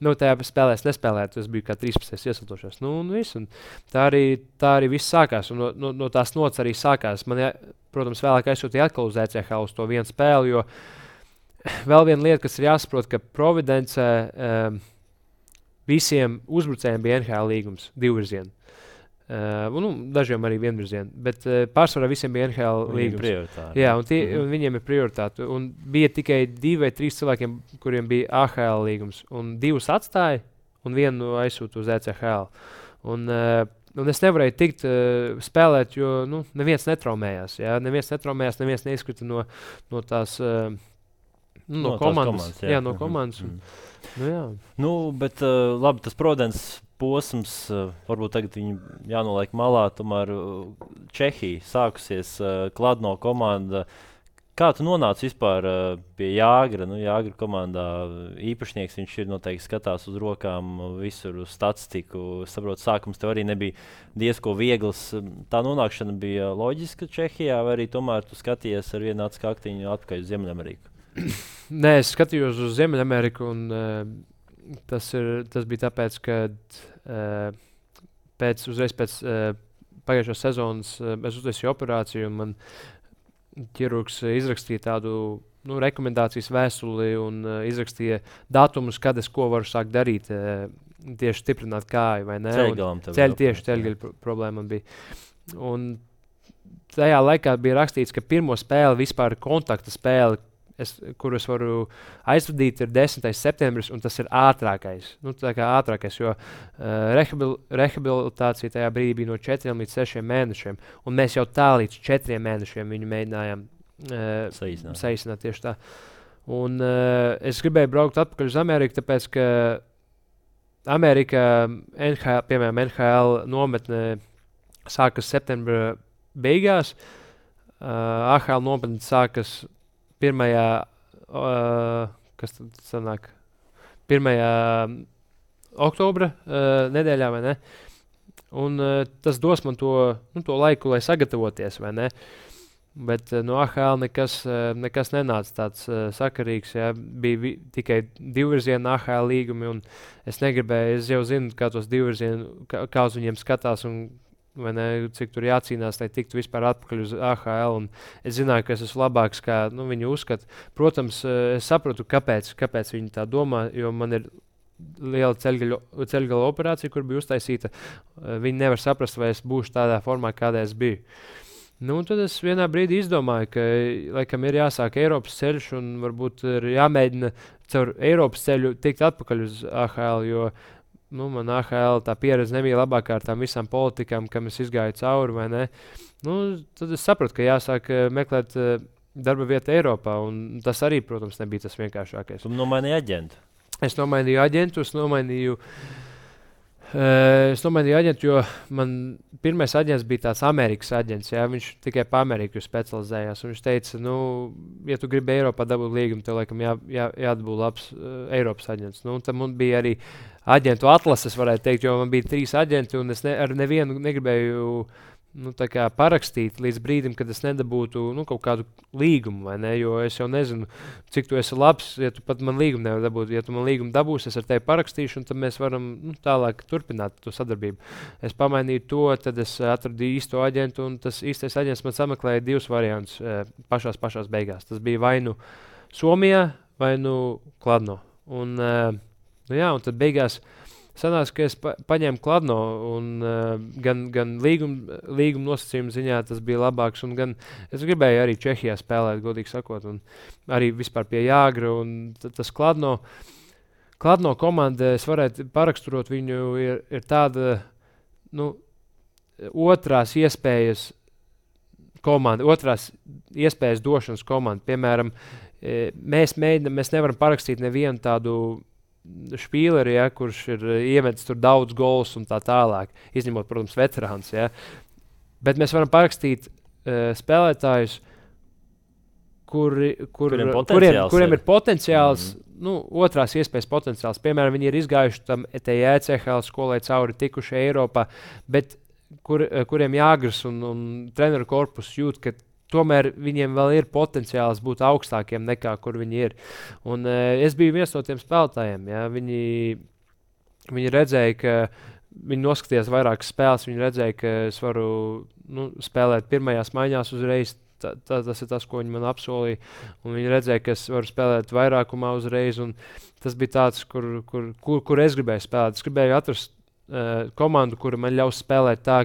Tajā spēlē es nespēlēju, tas bija kā 13. iesildošais. Un tā arī viss sākās. Un no tās nots arī sākās. Man, protams, vēlāk aizsūtīja atkal uz ECHL uz to vienu spēli, jo vēl viena lieta, kas ir jāsaprot, ka Providencē visiem uzbrucējiem bija NHL līgums, divvirzienu. Dažiem arī vienvirzienu, bet pārsvarā visiem bija NHL līgums. Jā, un viņiem ir prioritāte. Un bija tikai 2 vai 3 cilvēkiem, kuriem bija AHL līgums. Un 2 atstāja, un 1 aizsūta uz ECHL. Un es nevarēju tikt spēlēt, jo neviens netraumējās. Jā? Neviens neizkrita no tās no komandas. No komandas. Bet labi, tas Providence posms, varbūt tagad viņi jānoliek malā, tomēr Čehija sākusies, Kladno komanda. Kā tu nonāci vispār pie Jāgra? Jāgra komandā īpašnieks, viņš ir noteikti skatās uz rokām, visur uz statistiku. Saprotu, sākums tev arī nebija diezko viegls. Tā nonākšana bija loģiska Čehijā, vai arī tomēr tu skaties ar vienu acu kaktiņu atpakaļ uz Ziemeļameriku? Nē, es skatījos uz Ziemeļameriku, un tas bija tāpēc, ka uzreiz pēc pagājušās sezonas es uztaisīju operāciju, un man ķirurgs izrakstīja tādu rekomendācijas vēstuli un izrakstīja datumus, kad es ko varu sākt darīt. Tieši stiprināt kāju, vai ne? Ceļgaļu problēma bija. Un tajā laikā bija rakstīts, ka pirmo spēli, vispār kontakta spēli, kuru es varu aizvadīt, ir 10. septembris, un tas ir ātrākais. Tā kā ātrākais, jo rehabilitācija tajā brīdī bija no 4 līdz 6 mēnešiem, un mēs jau tā līdz 4 mēnešiem viņu mēģinājām saīsināt tieši tā. Un es gribēju braukt atpakaļ uz Ameriku, tāpēc, ka Amerikā, piemēram, NHL nometne sākas septembra beigās, AHL nometne sākas 1. Kas tad sanāk? 1. oktobra nedēļā, vai ne? Un tas dos man to laiku, lai sagatavoties, vai ne? Bet no AHL nekas nenāca tāds sakarīgs. Ja? Bija tikai divvirziena AHL līgumi, un es negribēju, es jau zinu, kā tos divvirzienu, kā uz viņiem skatās, un cik tur jācīnās, lai tiktu vispār atpakaļ uz AHL. Un es zināju, ka es esmu labāks, kā viņi uzskata. Protams, es saprotu, kāpēc viņi tā domā, jo man ir liela ceļgala operācija, kur bija uztaisīta. Viņi nevar saprast, vai es būšu tādā formā, kādā es biju. Tad es vienā brīdī izdomāju, ka laikam ir jāsāk Eiropas ceļš, un varbūt ir jāmēģina caur Eiropas ceļu tikt atpakaļ uz AHL, jo man AHL tā pieredze nebija labākā ar tām visām politikām, kam es izgāju cauri, vai ne? Tad es sapratu, ka jāsāk meklēt darba vietu Eiropā, un tas arī, protams, nebija tas vienkāršākais. Tu nomainīji aģentu? Es nomainīju aģentu, jo man pirmais aģents bija tāds Amerikas aģents. Jā, viņš tikai pa Ameriku specializējās. Viņš teica, ja tu gribi Eiropā dabūt līgumu, tev laikam jādabū labs Eiropas aģents. Tad man bija arī aģentu atlases, varētu teikt, jo man bija 3 aģenti, un es ar nevienu negribēju parakstīt līdz brīdim, kad es nedabūtu kaut kādu līgumu, vai ne? Jo es jau nezinu, cik tu esi labs, ja tu pat man līgumu nevar dabūt. Ja tu man līgumu dabūsi, es ar tevi parakstīšu, un tad mēs varam tālāk turpināt to sadarbību. Es pamainīju to, tad es atradu īsto aģentu, un tas īstais aģents man sameklēja 2 variantus pašās beigās. Tas bija vai nu Somijā, vai nu Kladno. Un tad beigās sanāca, ka es paņēmu Kladno, un gan līguma nosacījuma ziņā tas bija labāks, un gan es gribēju arī Čehijā spēlēt, godīgi sakot, un arī vispār pie Jāgra, un tas Kladno komanda, es varētu paraksturot viņu, ir tāda, otrās iespējas komanda, otrās iespējas došanas komanda. Piemēram, mēs nevaram parakstīt nevienu tādu špīleri, kurš ir iemetis tur daudz gols un tā tālāk, izņemot, protams, veterāns. Ja? Bet mēs varam parakstīt spēlētājus, kuriem ir potenciāls, otrās iespējas potenciāls. Piemēram, viņi ir izgājuši tam ECHL skolai cauri, tikuši Eiropā, bet kuriem Jāgras un treneru korpus jūt, ka tomēr viņiem vēl ir potenciāls būt augstākiem nekā kur viņi ir. Un es biju viens no tiem spēlētājiem. Ja? Viņi redzēja, ka viņi noskatījās vairākas spēles, viņi redzēja, ka es varu spēlēt pirmajās maiņās uzreiz. Tas ir tas, ko viņi man apsolīja. Un viņi redzēja, ka es varu spēlēt vairākumā uzreiz. Un tas bija tāds, kur es gribēju spēlēt. Es gribēju atrast komandu, kura man ļaus spēlēt tā,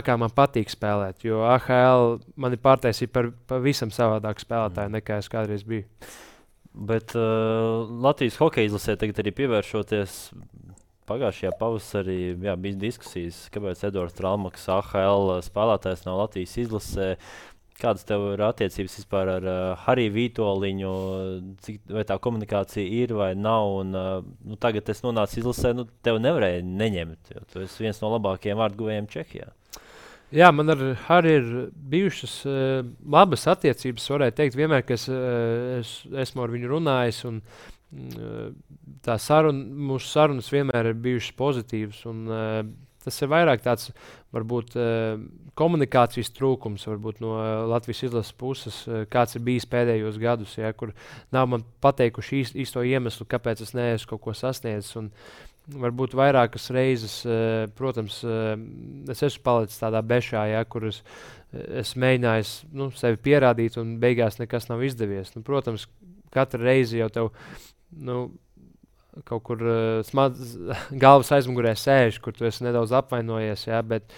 kā man patīk spēlēt. Jo AHL mani pārtaisīja par pavisam savādāku spēlētāju, nekā es kādreiz biju. Bet Latvijas hokeja izlasē tagad arī pievēršoties pagājušajā pavasarī, bija diskusijas, kāpēc Edvards Tralmaks AHL spēlētājs nav Latvijas izlasē. Kādas tev ir attiecības vispār ar Hariju Vītoliņu, vai tā komunikācija ir vai nav? Un, tagad es nonācu izlasē, tev nevarēja neņemt, jo tu esi viens no labākajiem vārtguvējiem Čehijā. Jā, man ar Hariju ir bijušas labas attiecības, varētu teikt, vienmēr, ka es esmu ar viņu runājis, un mūsu sarunas vienmēr ir bijušas pozitīvas. Un, tas ir vairāk tāds, varbūt, komunikācijas trūkums, varbūt no Latvijas izlases puses, kāds ir bijis pēdējos gadus, ja, kur nav man pateikuši īsto iemeslu, kāpēc es neesmu kaut ko sasniedzis. Un varbūt vairākas reizes, protams, es esmu palicis tādā bešā, ja, kur es mēģināju sevi pierādīt, un beigās nekas nav izdevies. Protams, katru reizi jau tev kaut kur galvas aizmugurē sēž, kur tu esi nedaudz apvainojies, ja, bet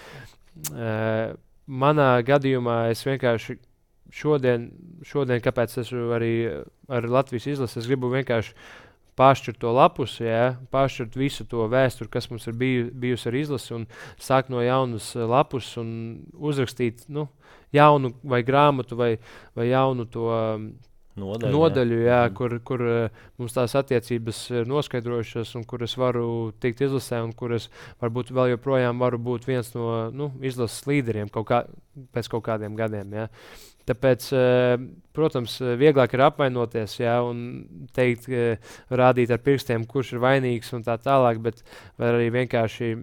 manā gadījumā es vienkārši šodien, kāpēc esmu arī ar Latvijas izlasi, es gribu vienkārši pāršķirt to lapus, ja, pāršķirt visu to vēsturi, kas mums ir bijusi ar izlasi, un sākt no jaunas lapus un uzrakstīt jaunu vai grāmatu vai jaunu to nodaļu, jā, kur mums tās attiecības ir noskaidrojušas, un kur es varu tikt izlasē, un kur es varbūt vēl joprojām varu būt viens no izlases līderiem pēc kaut kādiem gadiem. Jā. Tāpēc, protams, vieglāk ir apvainoties, jā, un teikt, rādīt ar pirkstiem, kurš ir vainīgs un tā tālāk, bet var arī vienkārši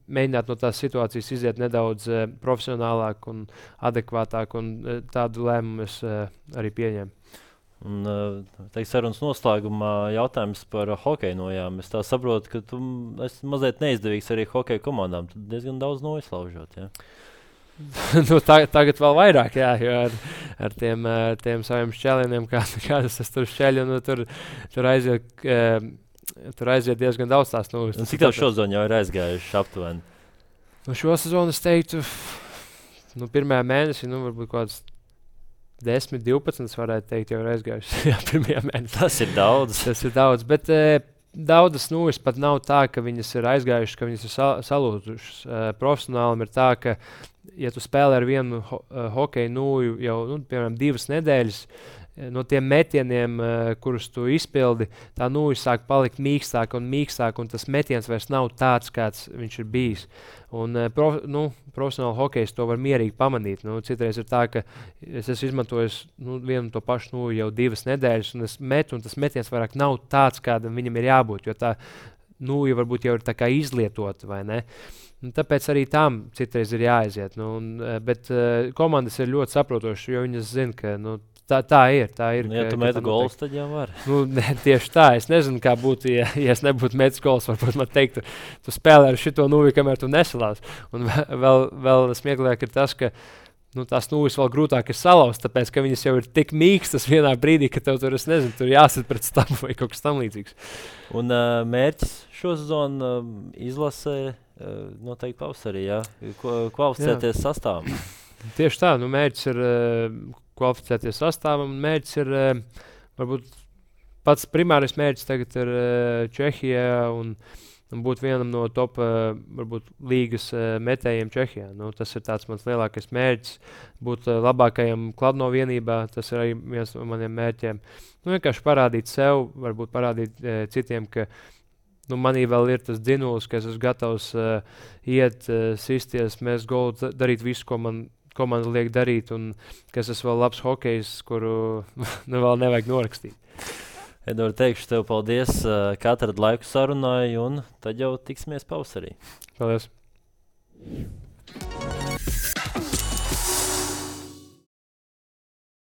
mēģināt no tās situācijas iziet nedaudz profesionālāk un adekvātāk, un tādu lēmumu es arī pieņēmu. Un, sarunas noslēgumā jautājums par hokeju nojām. Es tā saprotu, ka tu esi mazliet neizdevīgs arī hokeja komandām. Tu diezgan daudz noizlaužot, jā? Tagad vēl vairāk, jā, jo ar tiem saviem šķēlieniem, kādas es tur šķeļu, tur aiziet diezgan daudz tās nūjas. Cik tev šo zonu jau ir aizgājuši aptuveni? Šo sezonu es teiktu, pirmajā mēnesī, varbūt kaut kāds 10, 12 varētu teikt, jau ir aizgājuši. Jā, pirmajā mēnesī. Tas ir daudz. Tas ir daudz, bet daudzas nūjas pat nav tā, ka viņas ir aizgājušas, ka viņas ir salūzušas. Profesionālim ir tā, ka, ja tu spēlē ar vienu hokeju nūju jau, piemēram, 2 nedēļas, no tiem metieniem, kurus tu izpildi, tā nūja sāk palikt mīkstāk, un tas metiens vairs nav tāds, kāds viņš ir bijis. Un profesionāli hokejs to var mierīgi pamanīt. Citreiz ir tā, ka es esmu izmantojis vienu to pašu nūju jau 2 nedēļas, un es metu, un tas metiens vairāk nav tāds, kādam viņam ir jābūt, jo tā nūja varbūt jau ir tā kā izlietota, vai ne? Un tāpēc arī tam citreiz ir jāaiziet. Bet komandas ir ļoti saprotošas, jo viņas zina, ka tā ir. Ja tu metu golus, tad jau var. Tieši tā. Es nezinu, kā būtu, ja es nebūtu metis golus. Varbūt man teiktu, tu spēlē ar šito nūju, kamēr tu nesalās. Un vēl smieklāk ir tas, ka tās nūjas vēl grūtāk ir salauzt, tāpēc, ka viņas jau ir tik mīkstas vienā brīdī, ka tev tur, es nezinu, tur jāsit pret stabu vai kaut kas tam līdzīgs. Un mērķis šo sezonu izlasē noteikti pavasarī, jā? Kvalificēties sastāvam. Tieši tā, mērķis ir kvalificēties sastāvam, un mērķis ir, varbūt pats primārais mērķis tagad ir Čehijā un būt vienam no top, varbūt, līgas metējiem Čehijā. Tas ir tāds mans lielākais mērķis, būt labākajam Kladno vienībā, tas ir arī viens no maniem mērķiem. Vienkārši parādīt sev, varbūt parādīt citiem, ka manī vēl ir tas dzinulis, ka es esmu gatavs iet, sisties, mest golu, darīt visu, ko man liek darīt, un ka es esmu vēl labs hokejs, kuru vēl nevajag norakstīt. Edvards, teikšu tev paldies, ka atradi laiku sarunai, un tad jau tiksimies pavasarī. Paldies!